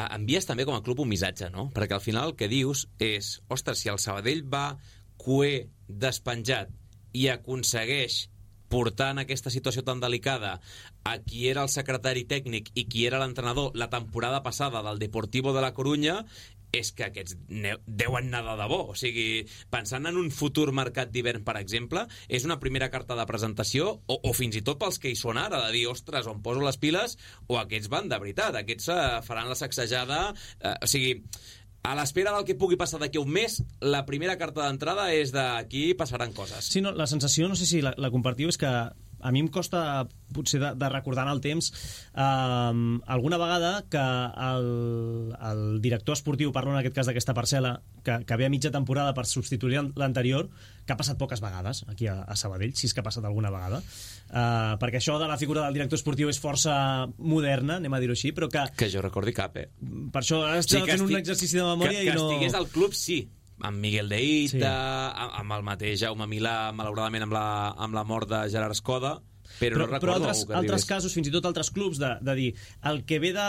Envies també com a club un missatge, no? Perquè al final el que dius és, ostres, si el Sabadell va cuer, despenjat i aconsegueix portar en aquesta situació tan delicada a qui era el secretari tècnic i qui era l'entrenador la temporada passada del Deportivo de la Corunya, és que aquests deuen anar de debò. O sigui, pensant en un futur mercat d'hivern, per exemple, és una primera carta de presentació o fins i tot pels que hi són ara, de dir, ostres, on poso les piles, o aquests van de veritat, aquests faran la sacsejada, o sigui... A l'espera del que pugui passar d'aquí un mes, la primera carta d'entrada és d'aquí passaran coses. Sí, no, la sensació, no sé si la compartiu, és que a mi em costa potser de recordar en el temps alguna vegada que el director esportiu, parlo en aquest cas d'aquesta parcel·la, que ve a mitja temporada per substituir l'anterior, que ha passat poques vegades aquí a Sabadell, si és que ha passat alguna vegada, perquè això de la figura del director esportiu és força moderna, anem a dir-ho així, però que jo recordi cap, per això estem fent un exercici de memòria que i no... Que estigués al club, sí, amb Miguel de Ita, amb el mateix Jaume Milà, malauradament amb la mort de Gerard Escoda, però no recordo altres casos, fins i tot altres clubs, de dir, el que ve de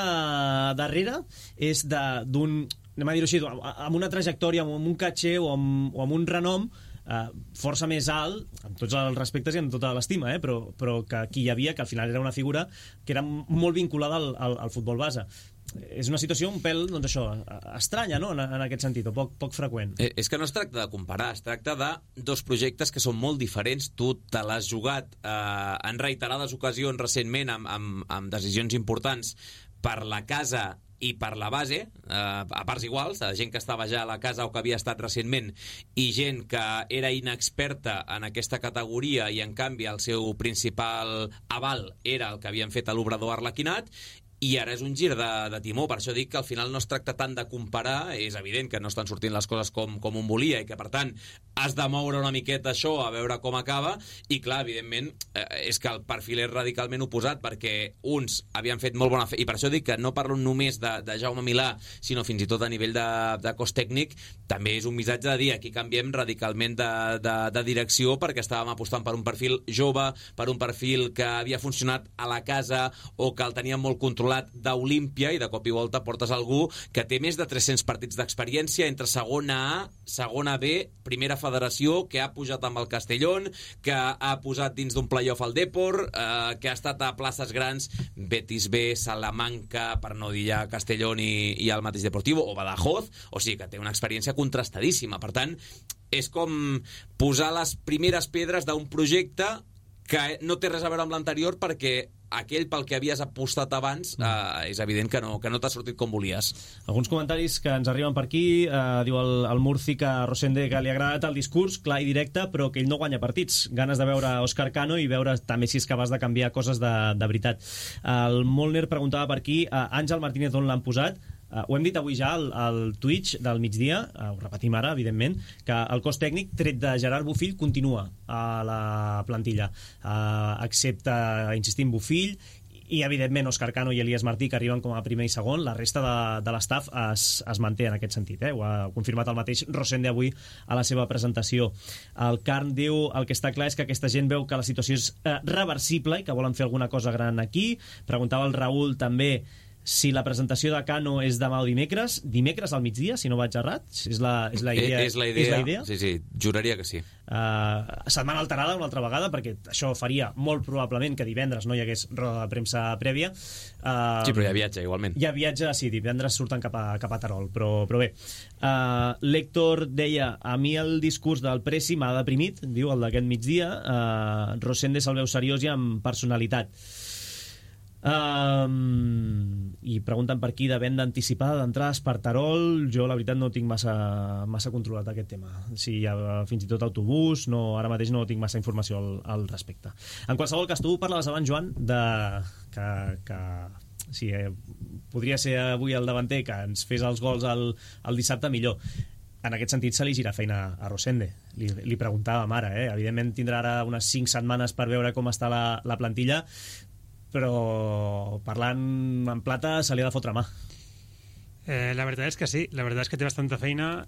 darrere és d'un, anem a dir-ho així, amb una trajectòria, amb un caché o amb un renom força més alt, amb tots els respectes i amb tota l'estima, però que aquí hi havia, que al final era una figura que era molt vinculada al futbol base. És una situació un pèl, doncs això, estranya, no?, en aquest sentit, o poc freqüent. És que no es tracta de comparar, es tracta de dos projectes que són molt diferents. Tu te l'has jugat en reiterades ocasions recentment amb decisions importants per la casa i per la base, a parts iguals, gent que estava ja a la casa o que havia estat recentment i gent que era inexperta en aquesta categoria i en canvi el seu principal aval era el que havien fet a l'obrador Arlequinat, i ara és un gir de timó. Per això dic que al final no es tracta tant de comparar, és evident que no estan sortint les coses com un volia i que per tant has de moure una miqueta això a veure com acaba, i clar, evidentment és que el perfil és radicalment oposat, perquè uns havien fet molt bona feina, i per això dic que no parlo només de Jaume Milà, sinó fins i tot a nivell de cos tècnic. També és un missatge de dir, aquí canviem radicalment de direcció, perquè estàvem apostant per un perfil jove, per un perfil que havia funcionat a la casa o que el teníem molt controlat d'Olímpia, i de cop i volta portes algú que té més de 300 partits d'experiència entre segona A, segona B, primera federació, que ha pujat amb el Castellón, que ha posat dins d'un playoff al Depor, que ha estat a places grans, Betis B, Salamanca, per no dir ja Castellón i el mateix Deportivo, o Badajoz, o sigui que té una experiència contrastadíssima. Per tant, és com posar les primeres pedres d'un projecte que no té res a veure amb l'anterior, perquè aquell pel que havies apostat abans és evident que no t'ha sortit com volies. Alguns comentaris que ens arriben per aquí. Diu el Murci que a Rosende que li ha agradat el discurs, clar i directe, però que ell no guanya partits. Ganes de veure Òscar Cano i veure també si és capaç de canviar coses de veritat. El Molner preguntava per aquí, Àngel Martínez on l'han posat? Ho hem dit avui ja al Twitch del migdia, ho repetim ara, evidentment, que el cos tècnic, tret de Gerard Bofill, continua a la plantilla, excepte, insistim, Bofill i, evidentment, Òscar Cano i Elias Martí, que arriben com a primer i segon. La resta de l'estaf es manté en aquest sentit. Ho ha confirmat el mateix Rosende avui a la seva presentació. El Carn diu, el que està clar és que aquesta gent veu que la situació és reversible i que volen fer alguna cosa gran aquí. Preguntava el Raül també si la presentació de Cano és demà o dimecres al migdia, si no vaig errat. És la idea? És la idea? Sí, juraria que sí. Setmana alterada una altra vegada, perquè això faria molt probablement que divendres no hi hagués roda de premsa prèvia. Sí, però hi ha viatge igualment. Hi ha viatge, sí, divendres surten cap a Terol, però bé. L'Héctor deia, a mi el discurs del Presi m'ha deprimit, diu, el d'aquest migdia. Rosende se'l veu seriós i amb personalitat. I pregunten per aquí de venda anticipada d'entrades per Terol. Jo la veritat no tinc massa controlat aquest tema, si hi ha fins i tot autobús, ara mateix no tinc massa informació al respecte. En qualsevol cas, tu parlaves abans, Joan, que si podria ser avui el davanter que ens fes els gols el dissabte, millor. En aquest sentit se li gira feina a Rosende. Li preguntàvem ara, evidentment tindrà ara unes 5 setmanes per veure com està la plantilla, però parlant en plata se li ha de fotre mà. La veritat és que sí, la veritat és que té bastanta feina,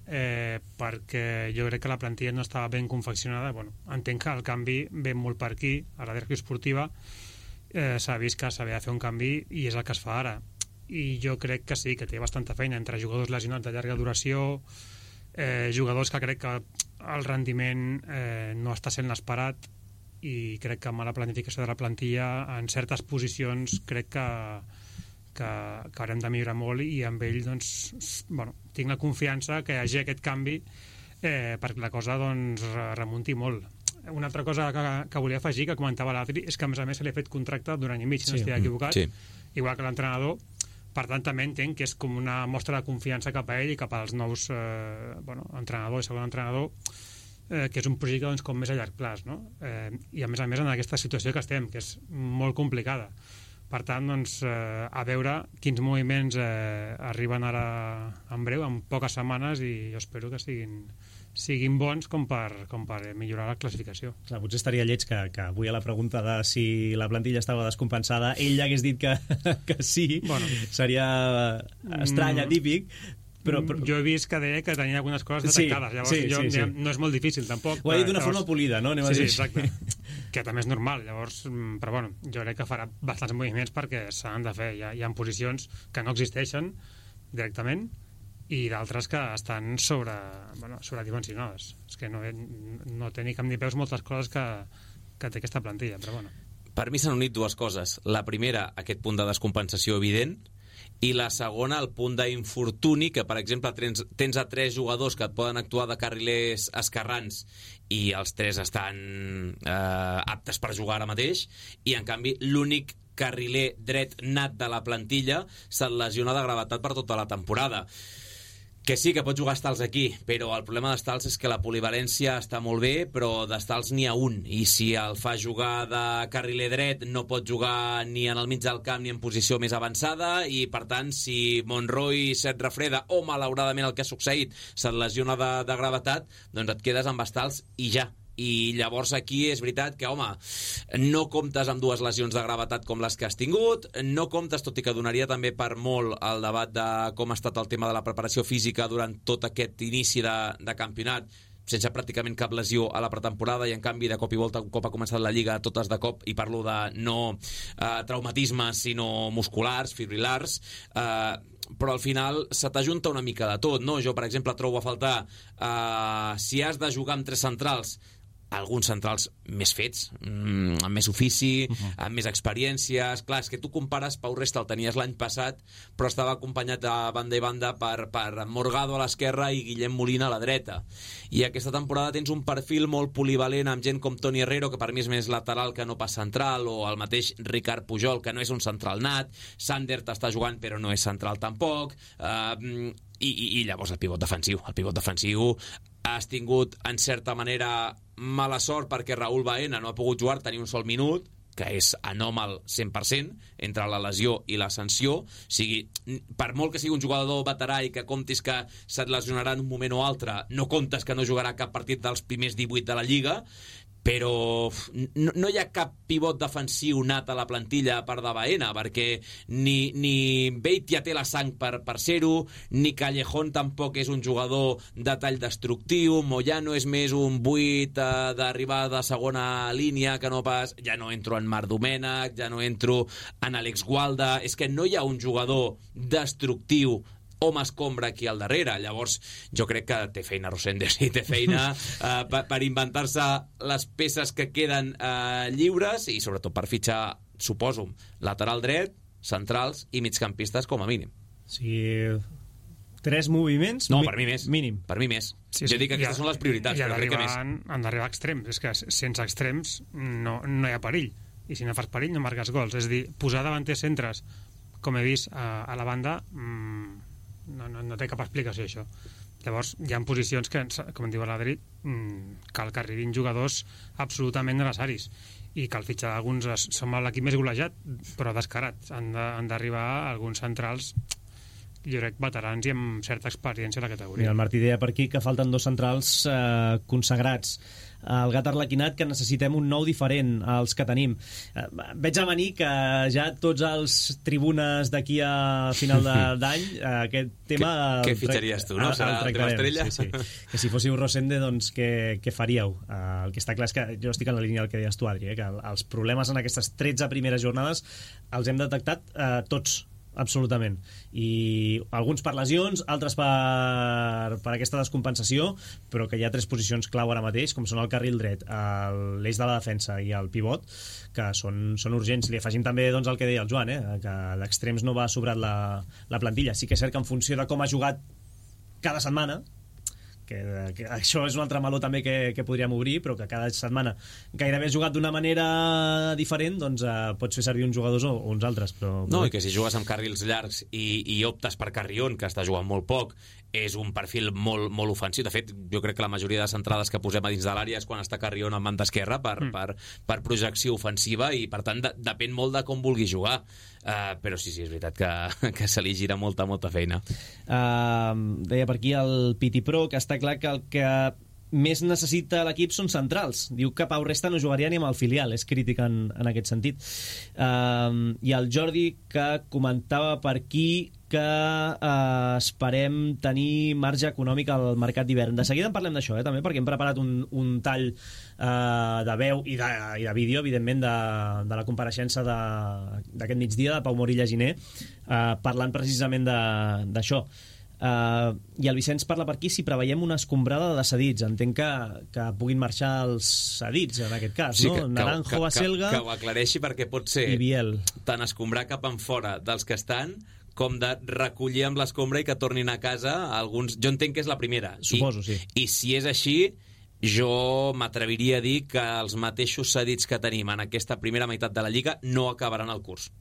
perquè jo crec que la plantilla no estava ben confeccionada. Entenc que el canvi ve molt per aquí, a la direcció esportiva s'ha vist que s'havia de fer un canvi i és el que es fa ara, i jo crec que sí, que té bastanta feina entre jugadors lesionats de llarga duració, jugadors que crec que el rendiment no està sent l'esperat, i crec que amb la planificació de la plantilla en certes posicions crec que haurem de millorar molt, i amb ell tinc la confiança que hi hagi aquest canvi perquè la cosa remunti molt. Una altra cosa que volia afegir, que comentava l'Adri, és que a més se li ha fet contracte d'un any i mig, si no estic equivocat, igual que l'entrenador. Per tant, també entenc que és com una mostra de confiança cap a ell i cap als nous entrenador i segon entrenador, que és un projecte com més a llarg plaç, no? I a més en aquesta situació que estem, que és molt complicada. Per tant, a veure quins moviments arriben ara en breu, en poques setmanes, i jo espero que siguin bons com per millorar la classificació. Clar, potser estaria lleig que avui a la pregunta de si la plantilla estava descompensada ell hagués dit que sí. Seria estrany, atípic. Però jo he vist que deia que tenia algunes coses detectades, llavors no és molt difícil tampoc. Ho ha dit d'una forma polida, no? Sí, exacte, que també és normal, llavors, però jo crec que farà bastants moviments perquè s'han de fer. Hi ha posicions que no existeixen directament i d'altres que estan sobredimensionades. És que no té ni cap ni peus moltes coses que té aquesta plantilla, però bueno. Per mi s'han unit dues coses. La primera, aquest punt de descompensació evident, i la segona, el punt d'infortuni, que per exemple tens a 3 jugadors que et poden actuar de carrilers esquerrans i els 3 estan aptes per jugar ara mateix, i en canvi l'únic carriler dret nat de la plantilla se't lesiona de gravetat per tota la temporada. Que sí, que pots jugar Stals aquí, però el problema d'Stals és que la polivalència està molt bé, però d'Stals n'hi ha un, i si el fa jugar de carriler dret no pot jugar ni en el mig del camp ni en posició més avançada, i per tant, si Monroy se't refreda o malauradament el que ha succeït se't lesiona de gravetat, doncs et quedes amb Stals i ja. I llavors aquí és veritat que, home, no comptes amb dues lesions de gravetat com les que has tingut, no comptes, tot i que donaria també per molt el debat de com ha estat el tema de la preparació física durant tot aquest inici de campionat, sense pràcticament cap lesió a la pretemporada, i en canvi de cop i volta, un cop ha començat la Lliga, totes de cop, i parlo de no traumatismes sinó musculars, fibrilars, però al final se t'ajunta una mica de tot, no? Jo, per exemple, trobo a faltar si has de jugar amb 3 centrals, alguns centrals més fets, amb més ofici, amb més experiències. Clar, és que tu compares, Pau Resta el tenies l'any passat, però estava acompanyat a banda i banda per Morgado a l'esquerra i Guillem Molina a la dreta. I aquesta temporada tens un perfil molt polivalent amb gent com Toni Herrero, que per mi és més lateral que no pas central, o el mateix Ricard Pujol, que no és un central nat. Sander t'està jugant però no és central tampoc. I llavors el pivot defensiu. El pivot defensiu has tingut, en certa manera, mala sort perquè Raúl Baena no ha pogut jugar, tenir un sol minut, que és anòmal 100% entre la lesió i la sanció. O sigui, per molt que sigui un jugador veterà i que comptis que se't lesionarà en un moment o altre, no comptes que no jugarà cap partit dels primers 18 de la Lliga, però no hi ha cap pivot defensiu nat a la plantilla per de Baena, perquè ni Beitia té la sang per ser-ho, ni Callejón tampoc és un jugador de tall destructiu, Moyano és més un 8 d'arribar de segona línia, que no pas... Ja no entro en Marc Domènech, ja no entro en Àlex Gualda, és que no hi ha un jugador destructiu home escombra aquí al darrere. Llavors jo crec que té feina Rosende, sí, té feina per inventar-se les peces que queden lliures, i sobretot per fitxar, suposo, lateral dret, centrals i migcampistes com a mínim. Sí, 3 moviments? No, per mi més. Mínim. Per mi més. Sí, jo dic que aquestes són les prioritats, però crec que més. Han d'arribar extrems. És que sense extrems no hi ha perill. I si no fas perill no marques gols. És a dir, posar davanters centres, com he vist a la banda, no té cap explicació, això. Llavors, hi ha posicions que, com diu l'Adri, cal que arribin jugadors absolutament necessaris, i cal fitxar alguns. Som l'equip més golejat, però descarat. Han d'arribar alguns centrals, jo crec, veterans i amb certa experiència a la categoria. Mira, el Martí deia per aquí que falten 2 centrals consagrats. El Gat Arlequinat, que necessitem un nou diferent als que tenim. Veig a venir que ja tots els tribunes d'aquí a final d'any, aquest tema... Què fitxaries tu, no? Serà el tema estrella? Sí. Que si fóssiu Rosende, doncs què faríeu? El que està clar és que jo estic en la línia del que deies tu, Adri, que els problemes en aquestes 13 primeres jornades els hem detectat tots, absolutament, i alguns per lesions, altres per aquesta descompensació, però que hi ha 3 posicions clau ara mateix, com són el carril dret, l'eix de la defensa i el pivot, que són urgents. Li afegim també, doncs, el que deia el Joan, que d'extrems no va sobrat la plantilla. Sí que és cert que en funció de com ha jugat cada setmana, que això és un altre meló també que podríem obrir, però que cada setmana gairebé has jugat d'una manera diferent, doncs pots fer servir uns jugadors o uns altres, però... No, i que si jugues amb carrils llargs i optes per Carrión, que està jugant molt poc, és un perfil molt, molt ofensiu. De fet, jo crec que la majoria de centrades que posem a dins de l'àrea és quan està Carrión en banda esquerra per projecció ofensiva, i per tant depèn molt de com vulgui jugar. Però sí, és veritat que se li gira molta feina. Deia per aquí el Piti Pro que està clar que el que més necessita l'equip són centrals. Diu que Pau Resta no jugaria ni amb el filial, és crític en aquest sentit. I el Jordi, que comentava per aquí que esperem tenir marge econòmic al mercat d'hivern. De seguida en parlem d'això, també, perquè hem preparat un tall de veu i de vídeo, evidentment, de la compareixença d'aquest migdia de Pau Morilla Giner, parlant precisament d'això. I el Vicenç parla per aquí si preveiem una escombrada de cedits. Entenc que puguin marxar els cedits en aquest cas, sí, no? Naranjo, Baselga que ho aclareixi, perquè pot ser i Biel. Tant escombrar cap en fora dels que estan, com de recollir amb l'escombra i que tornin a casa alguns. Jo entenc que és la primera. Suposo, sí. I si és així, jo m'atreviria a dir que els mateixos cedits que tenim en aquesta primera meitat de la Lliga no acabaran el curs.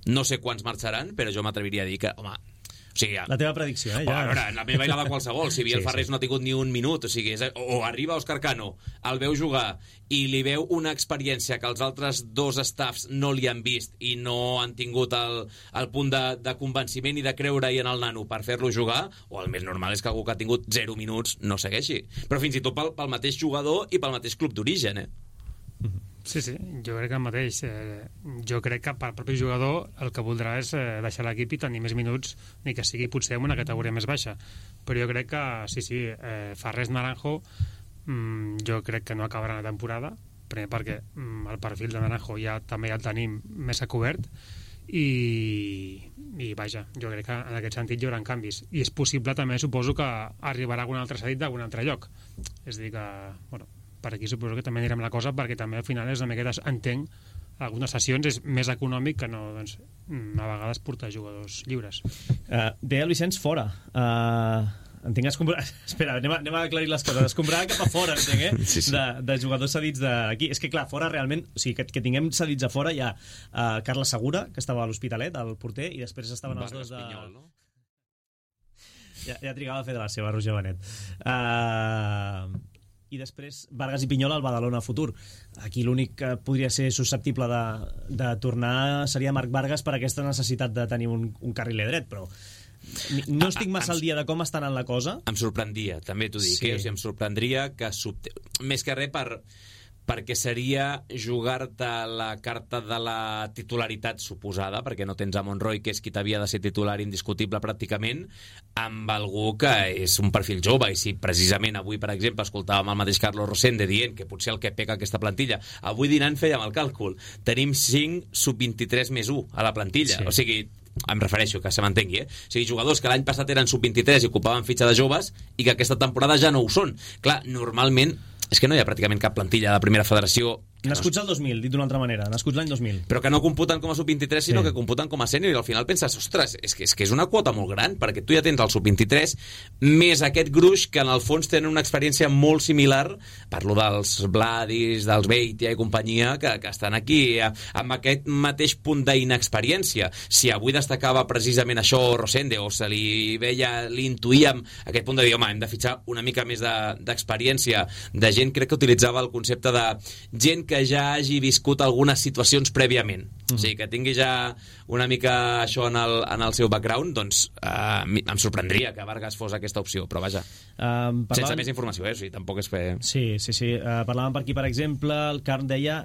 No sé quants marxaran, però jo m'atreviria a dir que, home... O sigui, la teva predicció, ja. A veure, la meva i la de qualsevol. Si Biel Farrés no ha tingut ni un minut, o sigui, o arriba Òscar Cano, el veu jugar i li veu una experiència que els altres dos staffs no li han vist i no han tingut el punt de convenciment i de creure-hi en el nano per fer-lo jugar, o el més normal és que algú que ha tingut 0 minuts no segueixi. Però fins i tot pel mateix jugador i pel mateix club d'origen, Sí, jo crec que el mateix. Jo crec que pel propi jugador el que voldrà és deixar l'equip i tenir més minuts, ni que sigui potser en una categoria més baixa. Però jo crec que, sí, Farrés Naranjo jo crec que no acabarà la temporada, primer perquè el perfil de Naranjo també ja el tenim més a cobert i vaja, jo crec que en aquest sentit hi haurà canvis. I és possible també, suposo, que arribarà algun altre cedit d'algun altre lloc. És a dir que, bueno, per aquí suposo que també anirem la cosa, perquè també al final és una miqueta, entenc, algunes sessions és més econòmic que no, doncs, a vegades portar jugadors lliures. Deia el Vicenç fora. Entenc escombrar... Espera, anem a aclarir les coses. Escombrar cap a fora, entenc, Sí. de jugadors cedits d'aquí. És que, clar, fora realment... O sigui, que tinguem cedits a fora hi ha Carles Segura, que estava a l'Hospitalet, el porter, i després estaven els dos de... Pinyol, no? Ja trigava a fer de la seva, Roger Benet. I després Vargas i Pinyol al Badalona Futur. Aquí l'únic que podria ser susceptible de tornar seria Marc Vargas per aquesta necessitat de tenir un carriler dret, però no estic massa al dia de com estan en la cosa. Em sorprendria, també t'ho dic, Sí. O sigui, em sorprendria que més que res perquè seria jugar-te la carta de la titularitat suposada, perquè no tens a Monroy, que és qui t'havia de ser titular indiscutible pràcticament, amb algú que és un perfil jove. I si precisament avui, per exemple, escoltàvem el mateix Carlos Rosende dient que potser el que peca aquesta plantilla, avui dinant fèiem el càlcul, tenim 5 sub-23 més 1 a la plantilla, Sí. O sigui, em refereixo, que se m'entengui, O sigui, jugadors que l'any passat eren sub-23 i ocupaven fitxa de joves i que aquesta temporada ja no ho són. Clar, normalment és que no hi ha pràcticament cap plantilla de primera federació Nascuts al 2000, dit d'una altra manera, nascuts l'any 2000. però que no computen com a sub-23, sinó que computen com a sènior, i al final penses, ostres, és que és una quota molt gran, perquè tu ja tens el sub-23 més aquest gruix que en el fons tenen una experiència molt similar, parlo dels Vladis, dels Beitia i companyia, que estan aquí amb aquest mateix punt d'inexperiència. Si avui destacava precisament això Rosende, o se li veia, li intuïem aquest punt de dir, home, hem de fitxar una mica més d'experiència, de gent, crec que utilitzava el concepte de gent que ja hagi viscut algunes situacions prèviament, o sigui, que tingui ja una mica això en el seu background, doncs em sorprendria que Vargas fos aquesta opció, però vaja, sense més informació, o sigui, tampoc és fer... Sí. Parlàvem per aquí, per exemple, el Carn deia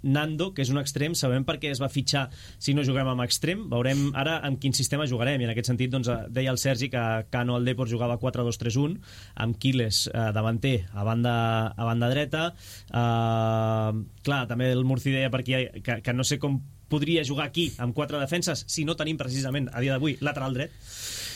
Nando, que és un extrem, sabem per què es va fitxar si no juguem amb extrem, veurem ara en quin sistema jugarem, i en aquest sentit doncs, deia el Sergi que Cano al Depor jugava 4-2-3-1, amb Quiles davanter a banda dreta. Clar, també el Murci deia per aquí que no sé com podria jugar aquí amb 4 defenses si no tenim precisament a dia d'avui lateral dret.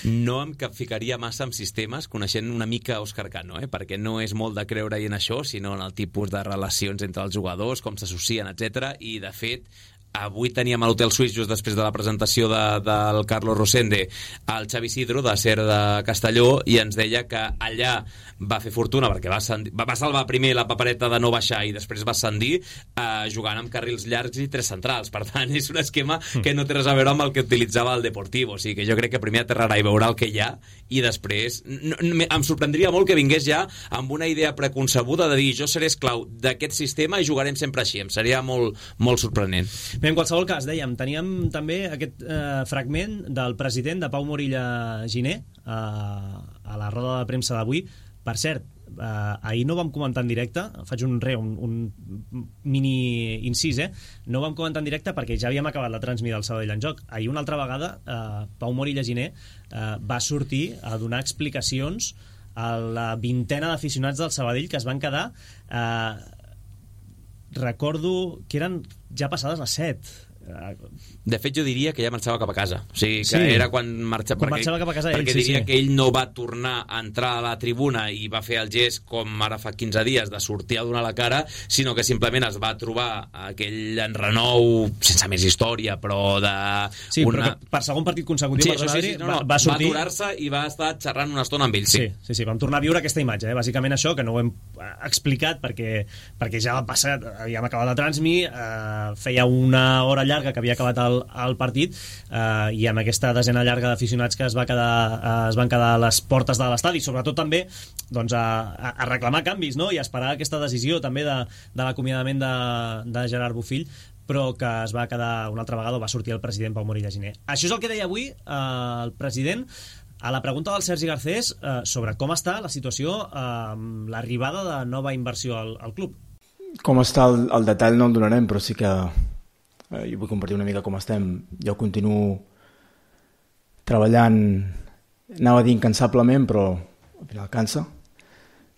No em capficaria massa en sistemes, coneixent una mica Òscar Cano, perquè no és molt de creure en això, sinó en el tipus de relacions entre els jugadors, com s'associen, etc. I de fet avui teníem a l'Hotel Suís, just després de la presentació del Carlos Rosende, el Xavi Sidro, de SER de Castelló, i ens deia que allà va fer fortuna perquè va salvar primer la papereta de no baixar i després va ascendir jugant amb carrils llargs i 3 centrals. Per tant, és un esquema que no té res a veure amb el que utilitzava el Deportivo. O sigui que jo crec que primer aterrarà i veurà el que hi ha, i després em sorprendria molt que vingués ja amb una idea preconcebuda de dir jo seré esclau d'aquest sistema i jugarem sempre així. Em seria molt, molt sorprenent. Bé, en qualsevol cas, dèiem, teníem també aquest fragment del president de Pau Morilla Giner a la roda de premsa d'avui. Per cert, ahir no vam comentar en directe, faig un mini incís, no vam comentar en directe perquè ja havíem acabat la transmida del Sabadell en joc. Ahir una altra vegada Pau Morilla Giner va sortir a donar explicacions a la vintena d'aficionats del Sabadell que es van quedar recordo que eren ja passades les 7 De fet, jo diria que ja marxava cap a casa. O sigui, que era quan marxava... Marxava cap a casa ell, perquè diria que ell no va tornar a entrar a la tribuna i va fer el gest, com ara fa 15 dies, de sortir a donar la cara, sinó que simplement es va trobar aquell enrenou, sense més història, però de... Sí, però per segon partit consecutiu, va sortir... Va aturar-se i va estar xerrant una estona amb ell, sí. Vam tornar a viure aquesta imatge, bàsicament això, que no ho hem explicat perquè ja va passar, havíem acabat de transmi, feia una hora llarga que havia acabat el partit, i amb aquesta desena llarga d'aficionats que es van quedar a les portes de l'estadi, sobretot també doncs, a reclamar canvis, no? I a esperar aquesta decisió també de l'acomiadament de Gerard Bofill, però que es va quedar una altra vegada, va sortir el president Pau Morilla Giner. Això és el que deia avui el president a la pregunta del Sergi Garcés sobre com està la situació amb l'arribada de nova inversió al club. Com està el detall no el donarem, però sí que jo vull compartir una mica com estem. Jo continuo treballant, anava a dir incansablement, però al final cansa,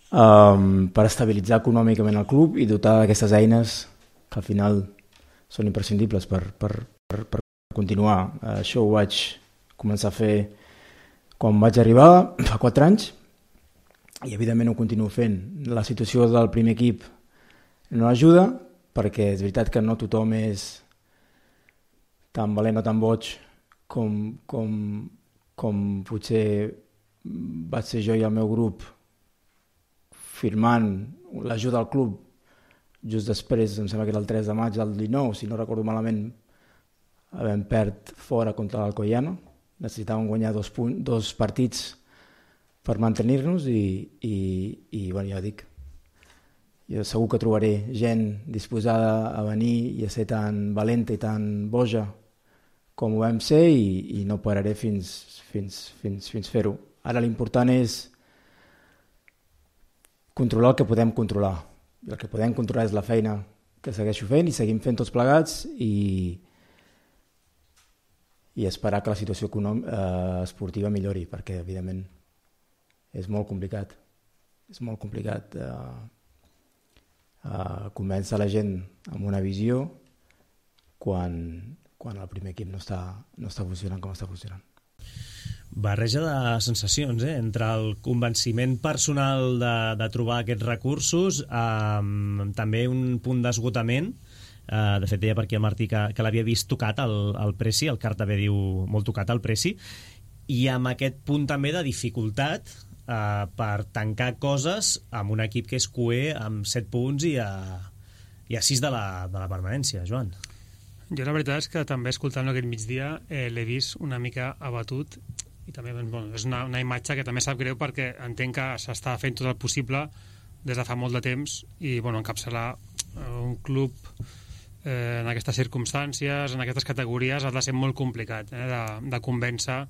per estabilitzar econòmicament el club i dotar d'aquestes eines que al final són imprescindibles per continuar. Això ho vaig començar a fer quan vaig arribar, fa 4 anys, i evidentment ho continuo fent. La situació del primer equip no ajuda, perquè és veritat que no tothom és tan valent o tan boig com potser vaig ser jo i el meu grup firmant l'ajuda al club just després, em sembla que era el 3 de maig del 19, si no recordo malament, vam perdre fora contra l'Alcoyano. Necessitàvem guanyar 2 partits per mantenir-nos i bueno, ja dic, jo segur que trobaré gent disposada a venir i a ser tan valenta i tan boja com ho vam ser i no pararé fins fer-ho. Ara l'important és controlar el que podem controlar. I el que podem controlar és la feina que segueixo fent i seguim fent tots plegats i esperar que la situació esportiva millori, perquè evidentment és molt complicat. És molt complicat convèncer la gent amb una visió quan el primer equip no està funcionant com està funcionant. Barreja de sensacions, entre el convenciment personal de trobar aquests recursos, també un punt d'esgotament. De fet, deia per aquí el Martí que l'havia vist tocat el Preci, el Car també diu molt tocat el Preci, i amb aquest punt també de dificultat per tancar coses amb un equip que és cuer amb 7 punts i a 6 de la permanència, Joan. Jo la veritat és que també escoltant-lo aquest migdia l'he vist una mica abatut i també és una imatge que també sap greu perquè entenc que s'està fent tot el possible des de fa molt de temps i encapçalar un club en aquestes circumstàncies, en aquestes categories, ha de ser molt complicat de convèncer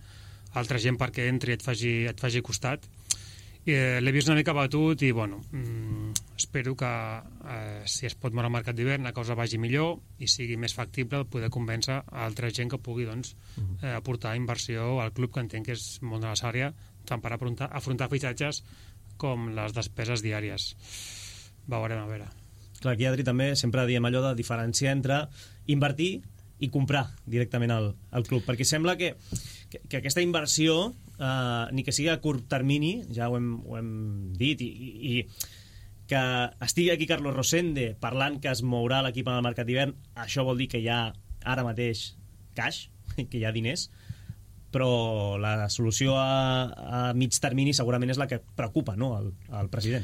altra gent perquè entri i et faci costat. L'he vist una mica abatut i espero que si es pot moure al mercat d'hivern la cosa vagi millor i sigui més factible poder convèncer altra gent que pugui aportar inversió al club, que entenc que és molt necessària tant per afrontar fitxatges com les despeses diàries. Veurem a veure. Clar, aquí Adri també sempre diem allò de diferenciar entre invertir i comprar directament al club, perquè sembla que aquesta inversió ni que sigui a curt termini, ja ho hem dit, i que estigui aquí Carlos Rosende parlant que es mourà l'equip en el mercat d'hivern, això vol dir que hi ha ara mateix cash, que hi ha diners, però la solució a mig termini segurament és la que preocupa, no, al president.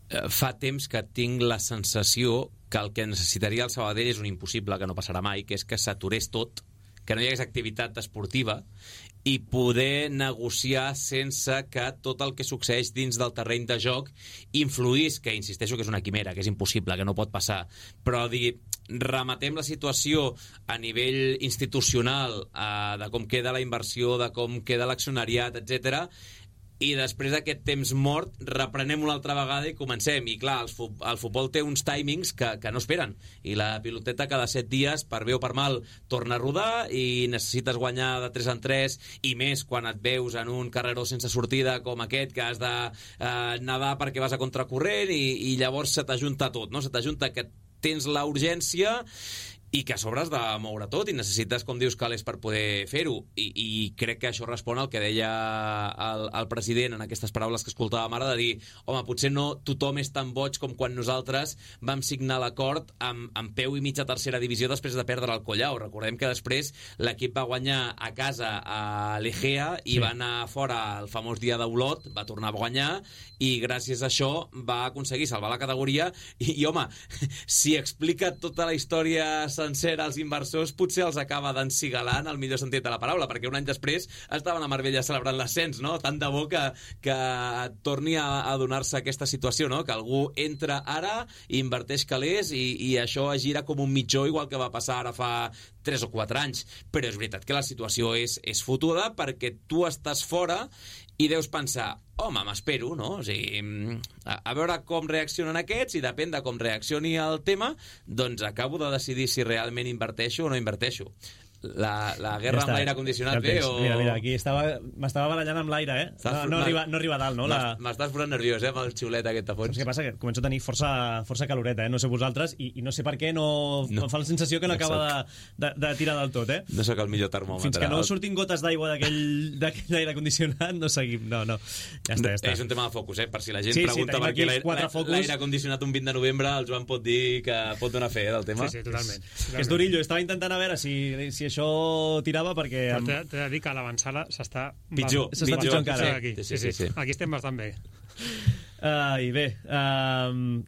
Fa temps que tinc la sensació que el que necessitaria el Sabadell és un impossible, que no passarà mai, que és que s'aturés tot, que no hi hagués activitat esportiva i poder negociar sense que tot el que succeeix dins del terreny de joc influís, que insisteixo que és una quimera, que és impossible, que no pot passar, però rematem la situació a nivell institucional, de com queda la inversió, de com queda l'accionariat, etc. I després d'aquest temps mort reprenem una altra vegada i comencem. I clar, el futbol té uns timings que no esperen, i la piloteta cada 7 dies, per bé o per mal, torna a rodar i necessites guanyar de 3 en 3, i més quan et veus en un carreró sense sortida com aquest, que has de nedar perquè vas a contracorrent, i llavors se t'ajunta tot, no? Se t'ajunta que tens la urgència i que a sobre has de moure tot i necessites, com dius, calés per poder fer-ho, i crec que això respon al que deia el president en aquestes paraules que escoltàvem ara, de dir, home, potser no tothom és tan boig com quan nosaltres vam signar l'acord amb peu i mitja tercera divisió després de perdre el Collao. Recordem que després l'equip va guanyar a casa a l'Egea i va anar fora el famós dia d'Olot, va tornar a guanyar, i gràcies a això va aconseguir salvar la categoria, i home, si explica tota la història sencera als inversors, potser els acaba d'encigalar en el millor sentit de la paraula, perquè un any després estaven a Marbella celebrant l'ascens, no? Tant de bo que torni a donar-se aquesta situació, no? Que algú entra ara, inverteix calés i això es gira com un mitjó, igual que va passar ara fa 3 o 4 anys. Però és veritat que la situació és fotuda, perquè tu estàs fora i deus pensar, home, m'espero, no? O sigui, a veure com reaccionen aquests, i depèn de com reaccioni el tema, doncs acabo de decidir si realment inverteixo o no inverteixo. La guerra amb l'aire condicionat bé o... Mira, aquí m'estava barallant amb l'aire, eh? No arriba a dalt, no? M'estàs posant nerviós, amb el xiulet aquest a fons. Què passa? Que començo a tenir força caloreta, eh? No sé vosaltres, i no sé per què em fa la sensació que no acaba de tirar del tot, eh? No sóc el millor termòmetre. Fins que no surtin gotes d'aigua d'aquell aire condicionat, no seguim. No. Ja està. És un tema de focus, eh? Per si la gent pregunta per què l'aire condicionat un 20 de novembre, el Joan pot dir que pot donar fe del tema. Sí, totalment. És durillo, estava intentant a veure si això tirava, perquè... Però t'he de dir que a l'avançada s'està... Pitjor encara. Sí. Aquí estem bastant bé. I bé,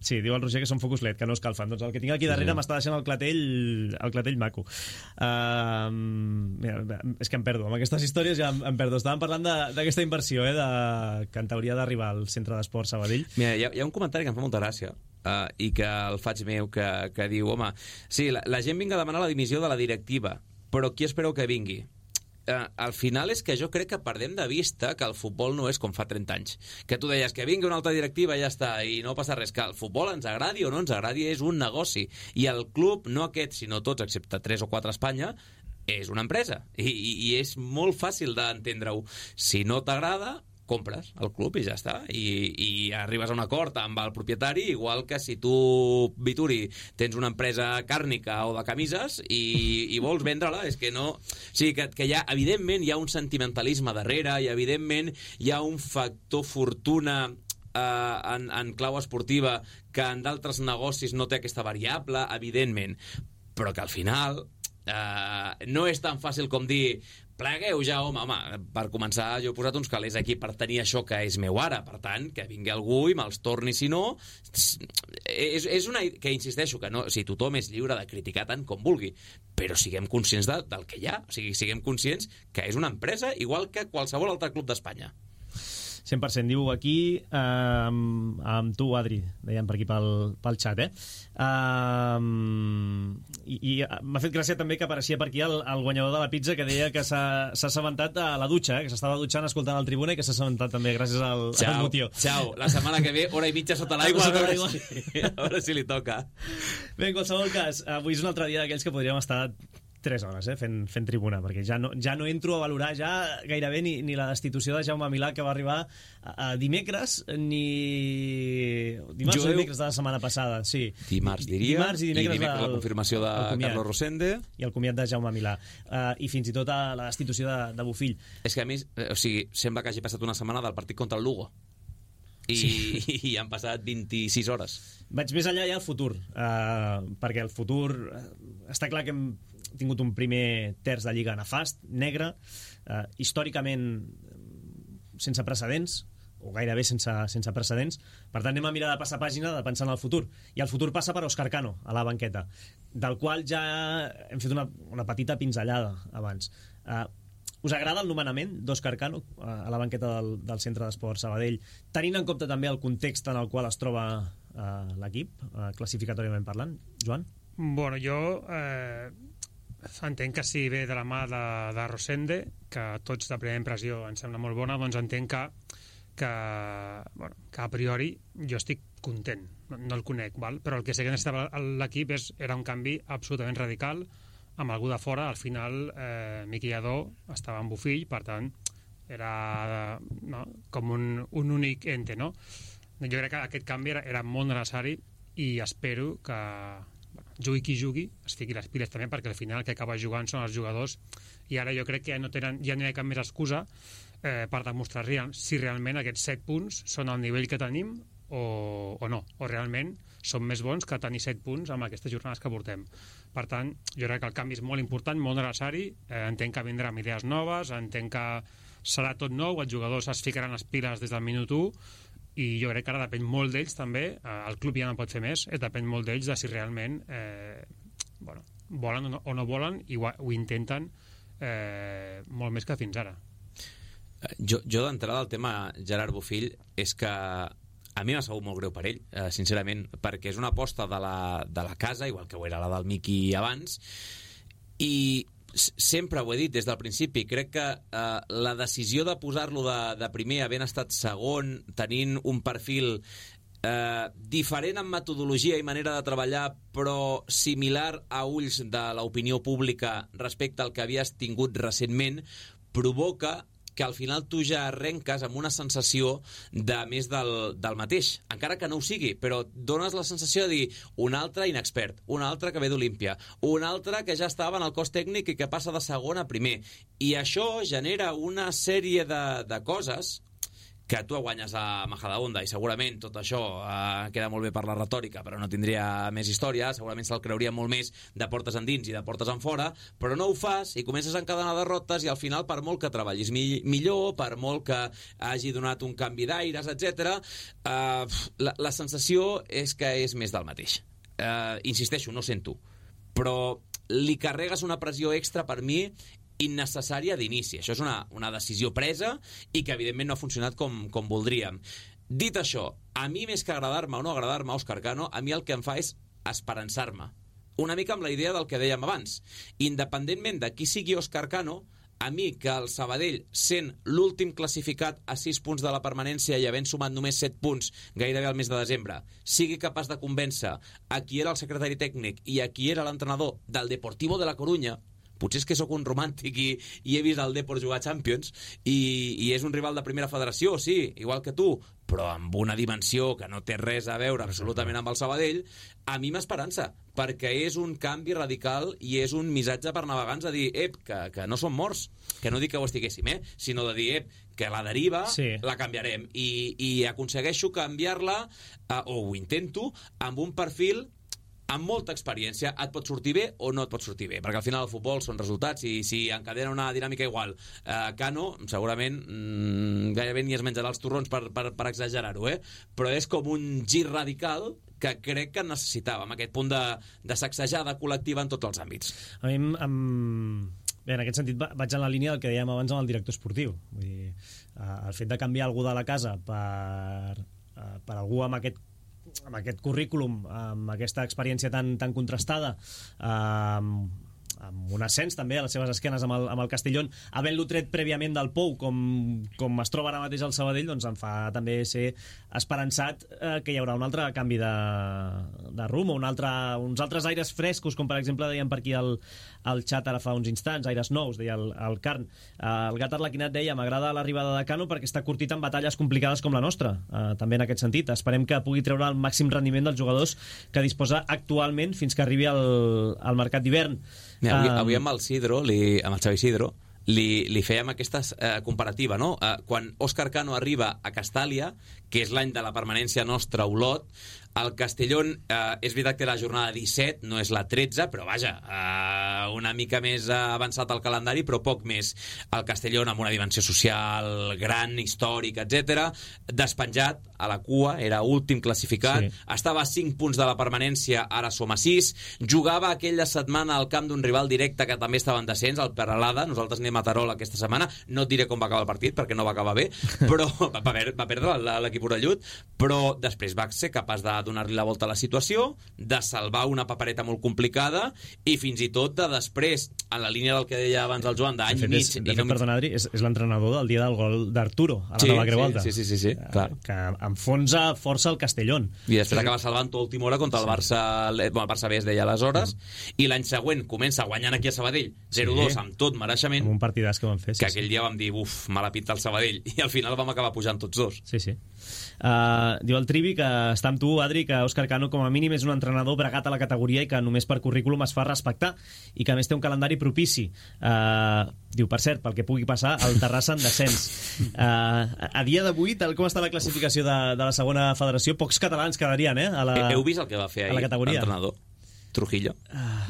sí, diu el Roger que són focus LED, que no escalfen. Doncs el que tinc aquí darrere m'està deixant el clatell maco. Mira, és que em perdo, amb aquestes històries ja em perdo. Estàvem parlant d'aquesta inversió, que en teoria d'arribar al Centre d'Esport Sabadell. Mira, hi ha un comentari que em fa molta gràcia, i que el faig meu, que diu, home, sí, la gent vinga a demanar la dimissió de la directiva, però qui espereu que vingui? Al final és que jo crec que perdem de vista que el futbol no és com fa 30 anys. Que tu deies que vingui una altra directiva i ja està, i no passa res. Que el futbol ens agradi o no ens agradi és un negoci. I el club, no aquest, sinó tots, excepte 3 o 4 a Espanya, és una empresa. I és molt fàcil d'entendre-ho. Si no t'agrada, compres el club i ja està, i arribes a un acord amb el propietari, igual que si tu, Vituri, tens una empresa càrnica o de camises i vols vendre-la, és que no... O sigui, que evidentment hi ha un sentimentalisme darrere, i evidentment hi ha un factor fortuna en clau esportiva que en d'altres negocis no té aquesta variable, evidentment, però que al final no és tan fàcil com dir plegueu ja, home, per començar jo he posat uns calés aquí per tenir això que és meu ara, per tant, que vingui algú i me'ls torni, si no és una... que insisteixo que no, si tothom és lliure de criticar tant com vulgui, però siguem conscients del que hi ha, o sigui, siguem conscients que és una empresa igual que qualsevol altre club d'Espanya. 100%, diu aquí amb tu, Adri, deien per aquí pel xat, i m'ha fet gràcia també que apareixia per aquí el guanyador de la pizza, que deia que s'ha assabentat a la dutxa, que s'estava dutxant escoltant el Tribuna, i que s'ha assabentat també gràcies al motiu. Ciao, la setmana que ve, hora i mitja sota l'aigua, a veure si li toca. Bé, en qualsevol cas, avui és un altre dia d'aquells que podríem estar 3 hores fent Tribuna, perquè ja no entro a valorar ja gairebé ni la destitució de Jaume Milà, que va arribar a dimecres, ni dimarts o dimecres de la setmana passada, sí. Dimarts, diria, i dimecres la confirmació de Carlos Rosende i el comiat de Jaume Milà, i fins i tot a la destitució de Bofill. És que a mi, o sigui, sembla que hagi passat una setmana del partit contra el Lugo i han passat 26 hores. Vaig més enllà ja al futur, perquè el futur està clar que hem tingut un primer terç de Lliga nefast, negre, històricament sense precedents, o gairebé sense precedents. Per tant, anem a mirar de passar pàgina, de pensar en el futur. I el futur passa per Òscar Cano, a la banqueta, del qual ja hem fet una petita pinzellada abans. Us agrada el nomenament d'Òscar Cano a la banqueta del Centre d'Esport Sabadell, tenint en compte també el context en el qual es troba l'equip, classificatòriament parlant? Joan? Bueno, jo entenc que si ve de la mà de Rosende, que tots de primera impressió ens sembla molt bona, doncs entenc que a priori jo estic content, no el conec, però el que sé que necessitava l'equip era un canvi absolutament radical, amb algú de fora. Al final Miqui Lladó estava amb Bofill, per tant era com un únic ente, no? Jo crec que aquest canvi era molt necessari, i espero que jugui qui jugui, es fiqui les piles també, perquè al final el que acaba jugant són els jugadors, i ara jo crec que ja no hi ha cap més excusa per demostrar si realment aquests 7 punts són al nivell que tenim o no, o realment són més bons que tenir 7 punts amb aquestes jornades que portem. Per tant, jo crec que el canvi és molt important, molt necessari, entenc que vindran idees noves, entenc que serà tot nou, els jugadors es ficaran les piles des del minut 1, i jo crec que ara depèn molt d'ells també, el club ja no pot fer més, depèn molt d'ells de si realment volen o no volen, i ho intenten molt més que fins ara. Jo d'entrada el tema Gerard Bofill és que a mi m'ha sabut molt greu per ell, sincerament, perquè és una aposta de la casa, igual que ho era la del Miqui abans, i sempre ho he dit des del principi, crec que la decisió de posar-lo de primer, havent estat segon, tenint un perfil diferent en metodologia i manera de treballar, però similar a ulls de l'opinió pública respecte al que havies tingut recentment, provoca que al final tu ja arrenques amb una sensació de més del mateix, encara que no ho sigui, però dones la sensació de dir un altre inexpert, un altre que ve d'Olímpia, un altre que ja estava en el cos tècnic i que passa de segon a primer, i això genera una sèrie de coses que tu guanyes a Majadahonda, i segurament tot això queda molt bé per la retòrica, però no tindria més història, segurament se'l creuria molt més de portes endins i de portes enfora, però no ho fas i comences a encadenar derrotes, i al final, per molt que treballis millor, per molt que hagi donat un canvi d'aires, etc., la sensació és que és més del mateix. Insisteixo, no sento, però li carregues una pressió extra, per mi, innecessària d'inici. Això és una decisió presa i que evidentment no ha funcionat com voldríem. Dit això, a mi més que agradar-me o no agradar-me Òscar Cano, a mi el que em fa és esperançar-me. Una mica amb la idea del que dèiem abans. Independentment de qui sigui Òscar Cano, a mi que el Sabadell, sent l'últim classificat a 6 punts de la permanència i havent sumat només 7 punts gairebé al mes de desembre, sigui capaç de convèncer a qui era el secretari tècnic i a qui era l'entrenador del Deportivo de la Corunya. Potser és que sóc un romàntic i he vist el Depor jugar Champions i és un rival de primera federació, sí, igual que tu, però amb una dimensió que no té res a veure absolutament amb el Sabadell. A mi m'esperança, perquè és un canvi radical i és un missatge per navegants a dir, que no som morts, que no dic que ho estiguéssim, sinó de dir, que la deriva la canviarem, i aconsegueixo canviar-la, o ho intento, amb un perfil amb molta experiència. Et pot sortir bé o no et pot sortir bé, perquè al final el futbol són resultats, i si encadena una dinàmica igual Cano, segurament gairebé ni es menjarà els torrons per exagerar-ho, però és com un gir radical que crec que necessitàvem, aquest punt de sacsejada col·lectiva en tots els àmbits. A mi bé, en aquest sentit vaig en la línia del que dèiem abans amb el director esportiu. Vull dir, el fet de canviar algú de la casa per algú amb aquest currículum, amb aquesta experiència tan contrastada, amb un ascens també a les seves esquenes amb el Castellón, havent-lo tret prèviament del Pou, com es troba ara mateix al Sabadell, doncs em fa també ser esperançat que hi haurà un altre canvi de rumb, uns altres aires frescos, com per exemple dèiem per aquí al xat ara fa uns instants, aires nous, deia el Carn. El Gat Arlequinat deia, m'agrada l'arribada de Cano perquè està curtit en batalles complicades com la nostra, també en aquest sentit. Esperem que pugui treure el màxim rendiment dels jugadors que disposa actualment fins que arribi al mercat d'hivern. Avui amb el Xavi Isidro, li fèiem aquesta comparativa, no? Quan Òscar Cano arriba a Castàlia, que és l'any de la permanència nostra a Olot, el Castellón és veritat que la jornada 17 no és la 13, però vaja, una mica més avançat el calendari, però poc més. El Castellón amb una dimensió social gran, històrica, etc., despenjat a la cua, era últim classificat, estava a 5 punts de la permanència, ara som a 6, jugava aquella setmana al camp d'un rival directe que també estava en descens, el Peralada. Nosaltres anem a Terol aquesta setmana, no et diré com va acabar el partit perquè no va acabar bé, però va perdre l'equip orellut, però després va ser capaç de donar-li la volta a la situació, de salvar una papereta molt complicada i fins i tot de després, en la línia del que deia abans el Joan, d'any i mig... Perdona, Adri, és l'entrenador del dia del gol d'Arturo a la nova Creu Alta. Sí, clar. Que enfonsa força el Castellón. I després acaba salvant tot última hora contra el Barça, el Barça B es deia aleshores, i l'any següent comença guanyant aquí a Sabadell 0-2 amb tot mereixement. Amb un partidàs que van fer. Que aquell dia vam dir, mala pinta el Sabadell, i al final vam acabar pujant tots dos. Sí. Diu el Trivi que està amb tu, Adri, que Òscar Cano com a mínim és un entrenador bregat a la categoria i que només per currículum es fa respectar i que a més té un calendari propici. Diu, per cert, pel que pugui passar, el Terrassa en descens. A dia d'avui, tal com està la classificació de la segona federació, pocs catalans quedarien, Heu vist el que va fer ahir l'entrenador? Trujillo.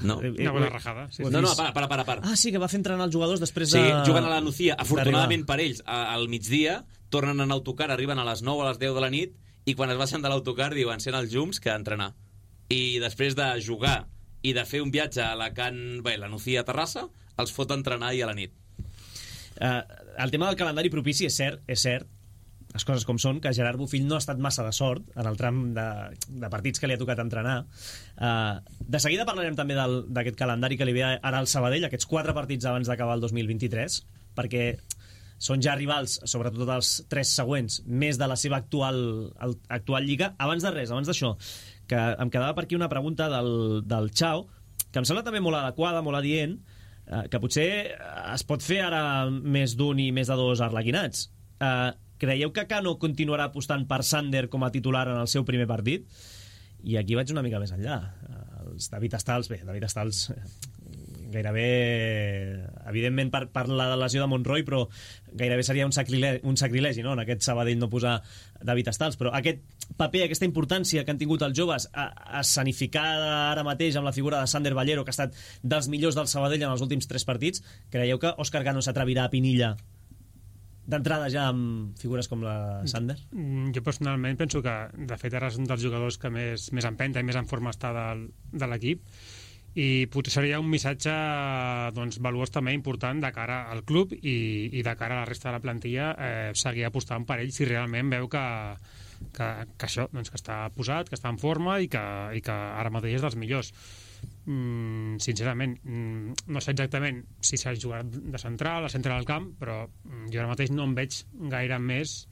No. Una bona rajada. Sí. No, para. Sí, que va fer entrenar els jugadors després de... Sí, juguen a la Nucía. Afortunadament per ells, al migdia, tornen en autocar, arriben a les 9 a les 10 de la nit, i quan es baixen de l'autocar diuen encén els llums que entrenar. I després de jugar i de fer un viatge a la Nucía a Terrassa, els fot entrenar ahir a la nit. El tema del calendari propici és cert, les coses com són, que Gerard Bofill no ha estat massa de sort en el tram de partits que li ha tocat entrenar. De seguida parlarem també d'aquest calendari que li ve ara al Sabadell, aquests 4 partits abans d'acabar el 2023, perquè són ja rivals, sobretot els 3 següents, més de la seva actual lliga. Abans d'això, que em quedava per aquí una pregunta del Chao, que em sembla també molt adequada, molt adient, que potser es pot fer ara més d'un i més de 2 arlequinats. Creieu que Cano continuarà apostant per Sander com a titular en el seu primer partit? I aquí vaig una mica més enllà. Els David Stals gairebé, evidentment per la lesió de Monroy, però gairebé seria un sacrilegi, no? En aquest Sabadell no posar David Stals, però aquest paper, aquesta importància que han tingut els joves escenificada ara mateix amb la figura de Sander Ballero, que ha estat dels millors del Sabadell en els últims 3 partits, creieu que Òscar Cano s'atrevirà a Pinilla d'entrada ja amb figures com la Sander? Jo personalment penso que de fet ara és un dels jugadors que més empenta i més en forma està de l'equip, i potser seria un missatge valuós també important de cara al club i de cara a la resta de la plantilla, seguir apostant per ell si realment veu que això, que està posat, que està en forma i que ara mateix és dels millors. Sincerament no sé exactament si s'ha jugat de central, al centre del camp, però jo ara mateix no em veig gaire més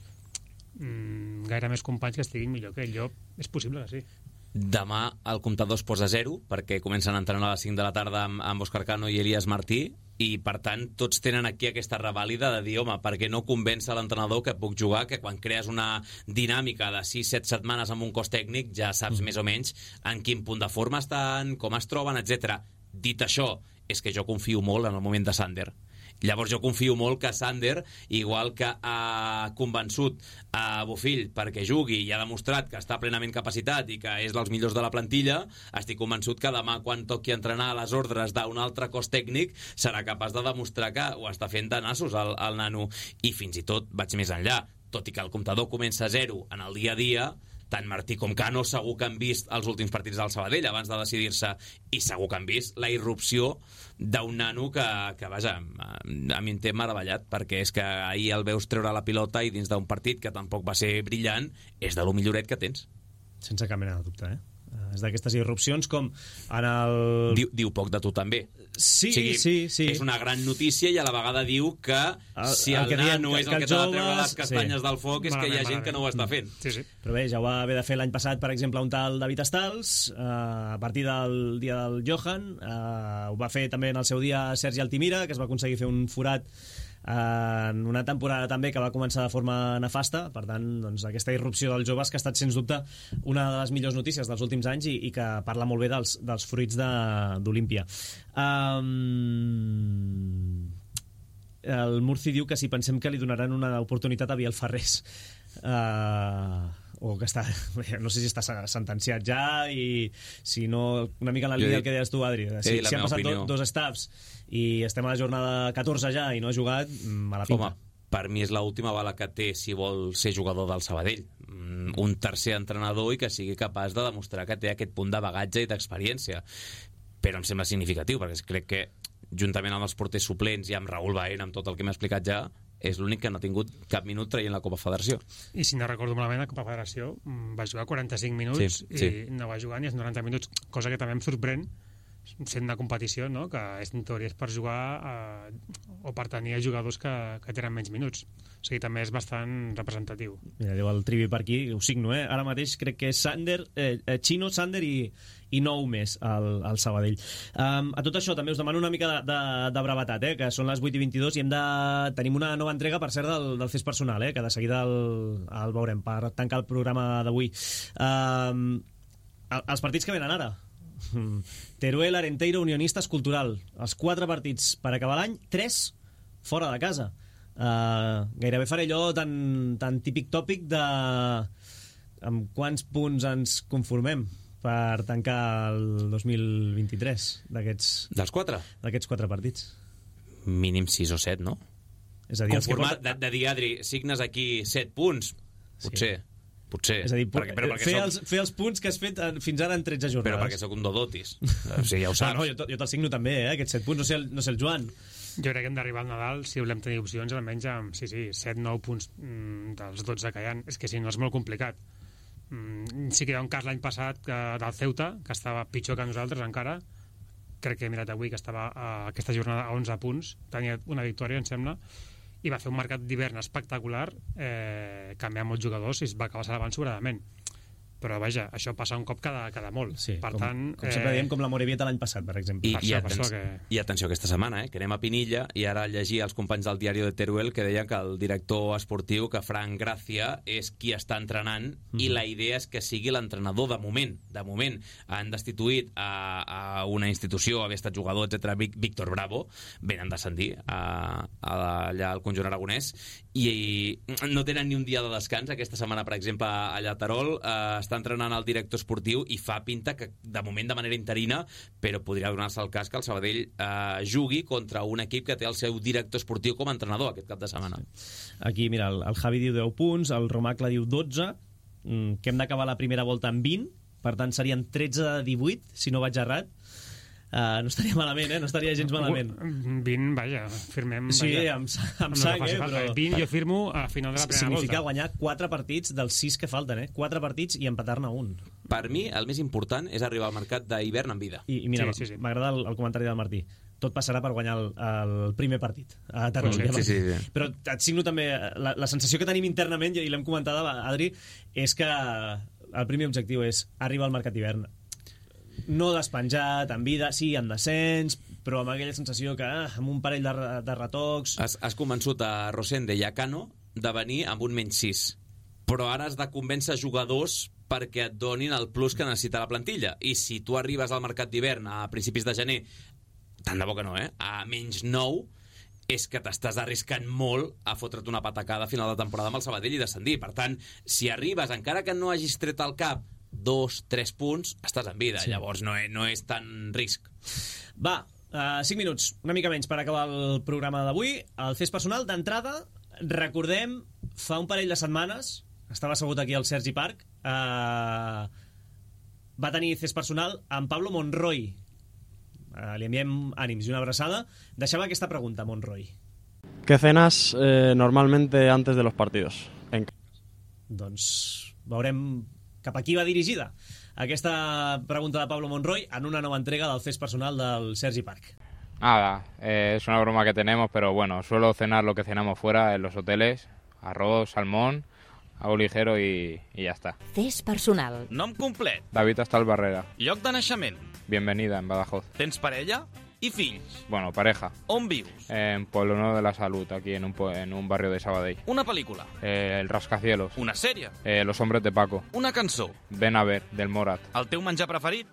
companys que estiguin millor que ell. És possible que sí. Demà el comptador es posa 0 perquè comencen a entrenar a les 5 de la tarda amb Òscar Cano i Elias Martí, i per tant tots tenen aquí aquesta revàlida de dir, home, perquè no convença l'entrenador que puc jugar, que quan crees una dinàmica de 6-7 setmanes amb un cos tècnic ja saps més o menys en quin punt de forma estan, com es troben, etc. Dit això, és que jo confio molt en el moment de Sander. Llavors jo confio molt que Sander, igual que ha convençut a Bofill perquè jugui i ha demostrat que està plenament capacitat i que és dels millors de la plantilla, estic convençut que demà quan toqui entrenar a les ordres d'un altre cos tècnic serà capaç de demostrar que ho està fent de nassos el nano. I fins i tot vaig més enllà, tot i que el comptador comença a 0 en el dia a dia, tant Martí com Cano segur que han vist els últims partits del Sabadell abans de decidir-se, i segur que han vist la irrupció d'un nano que vaja, a mi em té meravellat, perquè és que ahir el veus treure la pilota i dins d'un partit que tampoc va ser brillant, és de lo milloret que tens. Sense cap mena de dubte, És d'aquestes irrupcions com en el... Diu poc de tu també. Sí, o sigui, sí. És una gran notícia i a la vegada diu que si el nano és el que t'ha de treure les castanyes del foc és que hi ha gent que no ho està fent. Sí. Però bé, ja ho va haver de fer l'any passat, per exemple, un tal David Stals, a partir del dia del Johan, ho va fer també en el seu dia Sergi Altimira, que es va aconseguir fer un forat en una temporada també que va començar de forma nefasta. Per tant, doncs, aquesta irrupció dels joves que ha estat sens dubte una de les millors notícies dels últims anys i que parla molt bé dels fruits d'Olímpia. El Murci diu que si pensem que li donaran una oportunitat a Biel Ferrés, o que està, no sé si està sentenciat ja, i si no, una mica en la línia del que deies tu, Adri, si han passat 2 staffs i estem a la jornada 14 ja i no ha jugat, mala pinta. Home, per mi és l'última bala que té si vol ser jugador del Sabadell, un tercer entrenador i que sigui capaç de demostrar que té aquest punt de bagatge i d'experiència. Però em sembla significatiu, perquè crec que juntament amb els porters suplents i amb Raül Baena, amb tot el que m'ha explicat ja, és l'únic que no ha tingut cap minut traient la Copa Federació. I si no recordo malament, la Copa Federació va jugar 45 minuts i no va jugar ni els 90 minuts, cosa que també em sorprèn, sent una competició, no?, que en teoria és per jugar o per tenir jugadors que tenen menys minuts. O sigui, també és bastant representatiu. Mira, diu el Trivi per aquí, ho signo, Ara mateix crec que és Chino, Sander i 9 més al Sabadell. A tot això també us demano una mica de brevetat, que són les 8:22 i tenim una nova entrega, per cert, del Fes Personal, que de seguida el veurem per tancar el programa d'avui. Els partits que venen ara: Teruel, Arenteiro, Unionistes, Cultural. Els 4 partits per acabar l'any, 3 fora de casa. Gairebé faré allò tan típic tòpic de amb quants punts ens conformem per tancar el 2023 dels 4? D'aquests 4 partits. Mínim 6 o 7, no? És a dir, de dir, Adri, signes aquí 7 punts, potser. És a dir, fer els punts que has fet fins ara en 13 jornades. Però perquè sóc un dodotis. O sigui, ja ho saps. No, jo te'l signo també, aquests 7 punts. No sé el Joan. Jo crec que hem d'arribar al Nadal, si volem tenir opcions, almenys amb 7-9 punts dels 12 que hi ha. És que si no és molt complicat. Sí que hi ha un cas l'any passat del Ceuta, que estava pitjor que nosaltres encara. Crec que he mirat avui que estava aquesta jornada a 11 punts. Tenia una victòria, em sembla, i va fer un mercat d'hivern espectacular, canviar molts jugadors i es va acabar salvant sobradament. Però vaja, això passa un cop cada molt. Sí, per tant, com sempre diem, com la Morevieta l'any passat, per exemple. I atenció aquesta setmana, que anem a Pinilla, i ara llegia els companys del diari de Teruel que deien que el director esportiu, que Fran Gràcia, és qui està entrenant, i la idea és que sigui l'entrenador de moment. De moment han destituït a una institució, haver estat jugador, etc. Víctor Bravo, venen descendir allà al conjunt aragonès, i no tenen ni un dia de descans aquesta setmana, per exemple, allà a Terol. Està entrenant el director esportiu i fa pinta que de moment de manera interina, però podria donar-se el cas que el Sabadell jugui contra un equip que té el seu director esportiu com a entrenador aquest cap de setmana. Aquí, mira, el Javi diu 10 punts, el Romacle diu 12, que hem d'acabar la primera volta amb 20, per tant serien 13-18, si no vaig errat. No estaria malament, no estaria gens malament. 20, vaja, firmem... Sí, amb sang, però... 20 jo firmo a final de la primera volta. Significa guanyar 4 partits dels 6 que falten, 4 partits i empatar-ne un. Per mi, el més important és arribar al mercat d'hivern amb vida. I mira, sí. M'agrada el comentari del Martí. Tot passarà per guanyar el primer partit a Terol. Sí. Però et signo també... La sensació que tenim internament, i l'hem comentat, Adri, és que el primer objectiu és arribar al mercat d'hivern. No despenjat, en vida, sí, en descens, però amb aquella sensació que amb un parell de retocs... Has convençut a Rosende i a Cano de venir amb un -6, però ara has de convèncer jugadors perquè et donin el plus que necessita la plantilla. I si tu arribes al mercat d'hivern a principis de gener, tant de bo que no, a -9, és que t'estàs arriscant molt a fotre't una patacada a final de temporada amb el Sabadell i descendir. Per tant, si arribes, encara que no hagis tret al cap 2-3 punts, estàs en vida. Sí. Llavors no és tan risc. Va, 5 minuts, una mica menys per acabar el programa d'avui. El Fes Personal, d'entrada, recordem, fa un parell de setmanes, estava assegut aquí al Sergi Park, va tenir Fes Personal amb Pablo Monroy. Li enviem ànims i una abraçada. Deixava aquesta pregunta, Monroy. ¿Qué cenas normalmente antes de los partidos? Doncs veurem cap a qui va dirigida aquesta pregunta de Pablo Monroy en una nova entrega del Fes Personal del Sergi Park. Nada, es una broma que tenemos, pero bueno, suelo cenar lo que cenamos fuera en los hoteles, arroz, salmón, algo ligero y ya está. Fes Personal. Nom complet. David Astal Barrera. Lloc de naixement. Bienvenida en Badajoz. Tens parella i fills? Bueno, pareja. On vius? En Pueblo Nuevo de la Salud, aquí en un barrio de Sabadell. Una pel·lícula? El Rascacielos. Una sèrie? Los Hombres de Paco. Una cançó? Ven a ver, del Morat. El teu menjar preferit?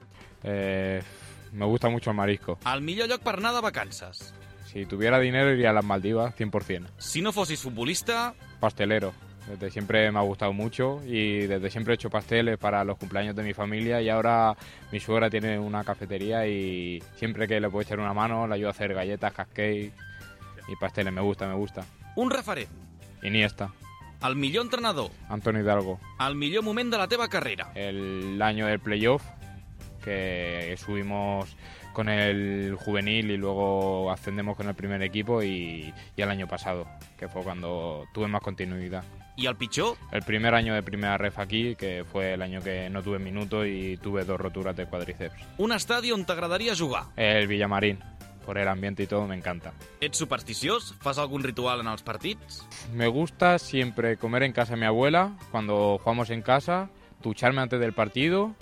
Me gusta mucho el marisco. El millor lloc per anar de vacances? Si tuviera dinero iría a las Maldivas, 100%. Si no fossis futbolista? Pastelero. Desde siempre me ha gustado mucho y desde siempre he hecho pasteles para los cumpleaños de mi familia y ahora mi suegra tiene una cafetería y siempre que le puedo echar una mano le ayudo a hacer galletas, cupcakes y pasteles. Me gusta. Un referent? Iniesta. El millor entrenador? Antonio Hidalgo. El millor moment de la teva carrera? El año del playoff, que subimos con el juvenil y luego ascendemos con el primer equipo y el año pasado, que fue cuando tuve más continuidad. I el pitjor? El primer año de primera ref aquí, que fue el año que no tuve minutos y tuve 2 roturas de cuádriceps. Un estadi on t'agradaria jugar? El Villamarín, por el ambiente y todo, me encanta. Ets supersticiós? Fas algun ritual en els partits? Me gusta siempre comer en casa de mi abuela, cuando jugamos en casa, ducharme antes del partido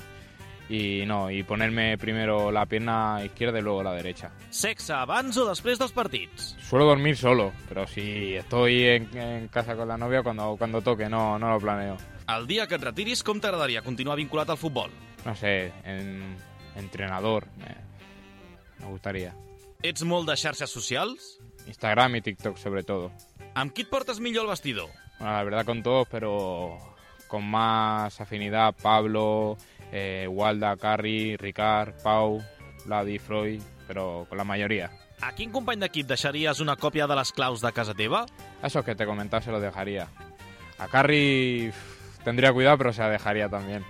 y ponerme primero la pierna izquierda y luego la derecha. Sexe abans o després dels partits? Suelo dormir solo, pero si estoy en casa con la novia, cuando toque, no lo planeo. El dia que et retiris, com t'agradaria continuar vinculat al futbol? No sé, entrenador, me gustaría. Ets molt de xarxes socials? Instagram y TikTok sobre todo. Amb qui et portes millor el vestidor? Bueno, la verdad con todos, pero con más afinidad Pablo, Walda, Carri, Ricard, Pau, Ladi, Freud, pero con la mayoría. A quin company d'equip deixaries una còpia de les claus de casa teva? A esos que te comentaba se los dejaría. A Carri tendría cuidado, pero se la dejaría también.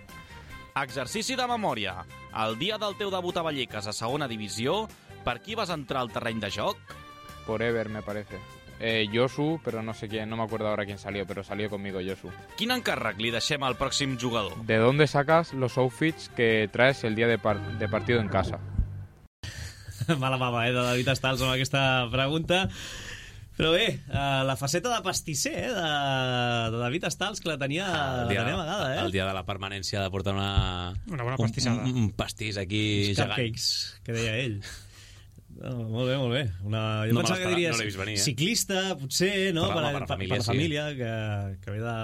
Exercici de memòria. El dia del teu debut a Vallecas a segona divisió, per qui vas entrar al terreny de joc? Por Ever, me parece. Josu, pero no sé quién, no me acuerdo ahora quién salió, pero salió conmigo Josu. Quin encàrrec li deixem al pròxim jugador? ¿De dónde sacas los outfits que traes el día de partido en casa? Mala mama, de David Estals amb aquesta pregunta. Però bé, la faceta de pastisser de David Estals, que la tenia amagada, El dia de la permanència de portar una bona pastissada. Un pastís aquí uns gegant. Cupcakes, que deia ell. Molt bé, molt bé. Jo No pensava que diries no l'he vist venir, ciclista, potser, no? Per la família, que ve de...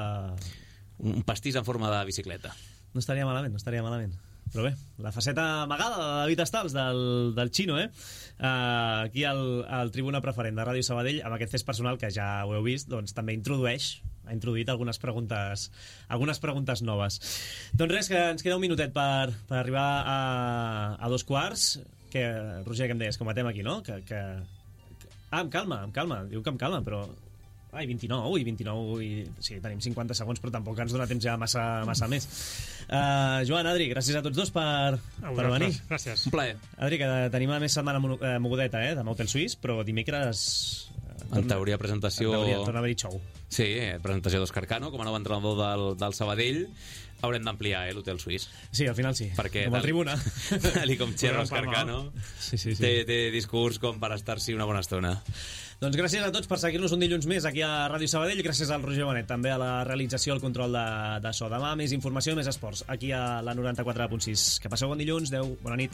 Un pastís en forma de bicicleta. No estaria malament. Però bé, la faceta amagada de David Estals, del Xino, aquí al Tribuna Preferent de Ràdio Sabadell, amb aquest test personal que ja ho heu vist, doncs també ha introduït algunes preguntes noves. Doncs res, que ens queda un minutet per arribar a 2:15. Que, Roger, que em deies, com matem aquí, no? Em calma, diu que em calma, però... Ai, 29, sí, tenim 50 segons, però tampoc ens dona temps ja massa més. Joan, Adri, gràcies a tots dos per venir. Gràcies. Un plaer. Adri, que tenim a més setmana mogudeta, de Motel Suís, però dimecres... En teoria, presentació... Torna a haver-hi xou. Sí, presentació d'Òscar Cano, com a nou entrenador del Sabadell. Haurem d'ampliar l'hotel suís. Sí, al final sí, perquè com a Tribuna. Tal com xerra Òscar Cano, sí. té discurs com per estar-s'hi una bona estona. Doncs gràcies a tots per seguir-nos un dilluns més aquí a Ràdio Sabadell, gràcies al Roger Bonet, també a la realització, al control de so. Demà més informació, més esports, aquí a la 94.6. Que passeu bon dilluns, adeu, bona nit.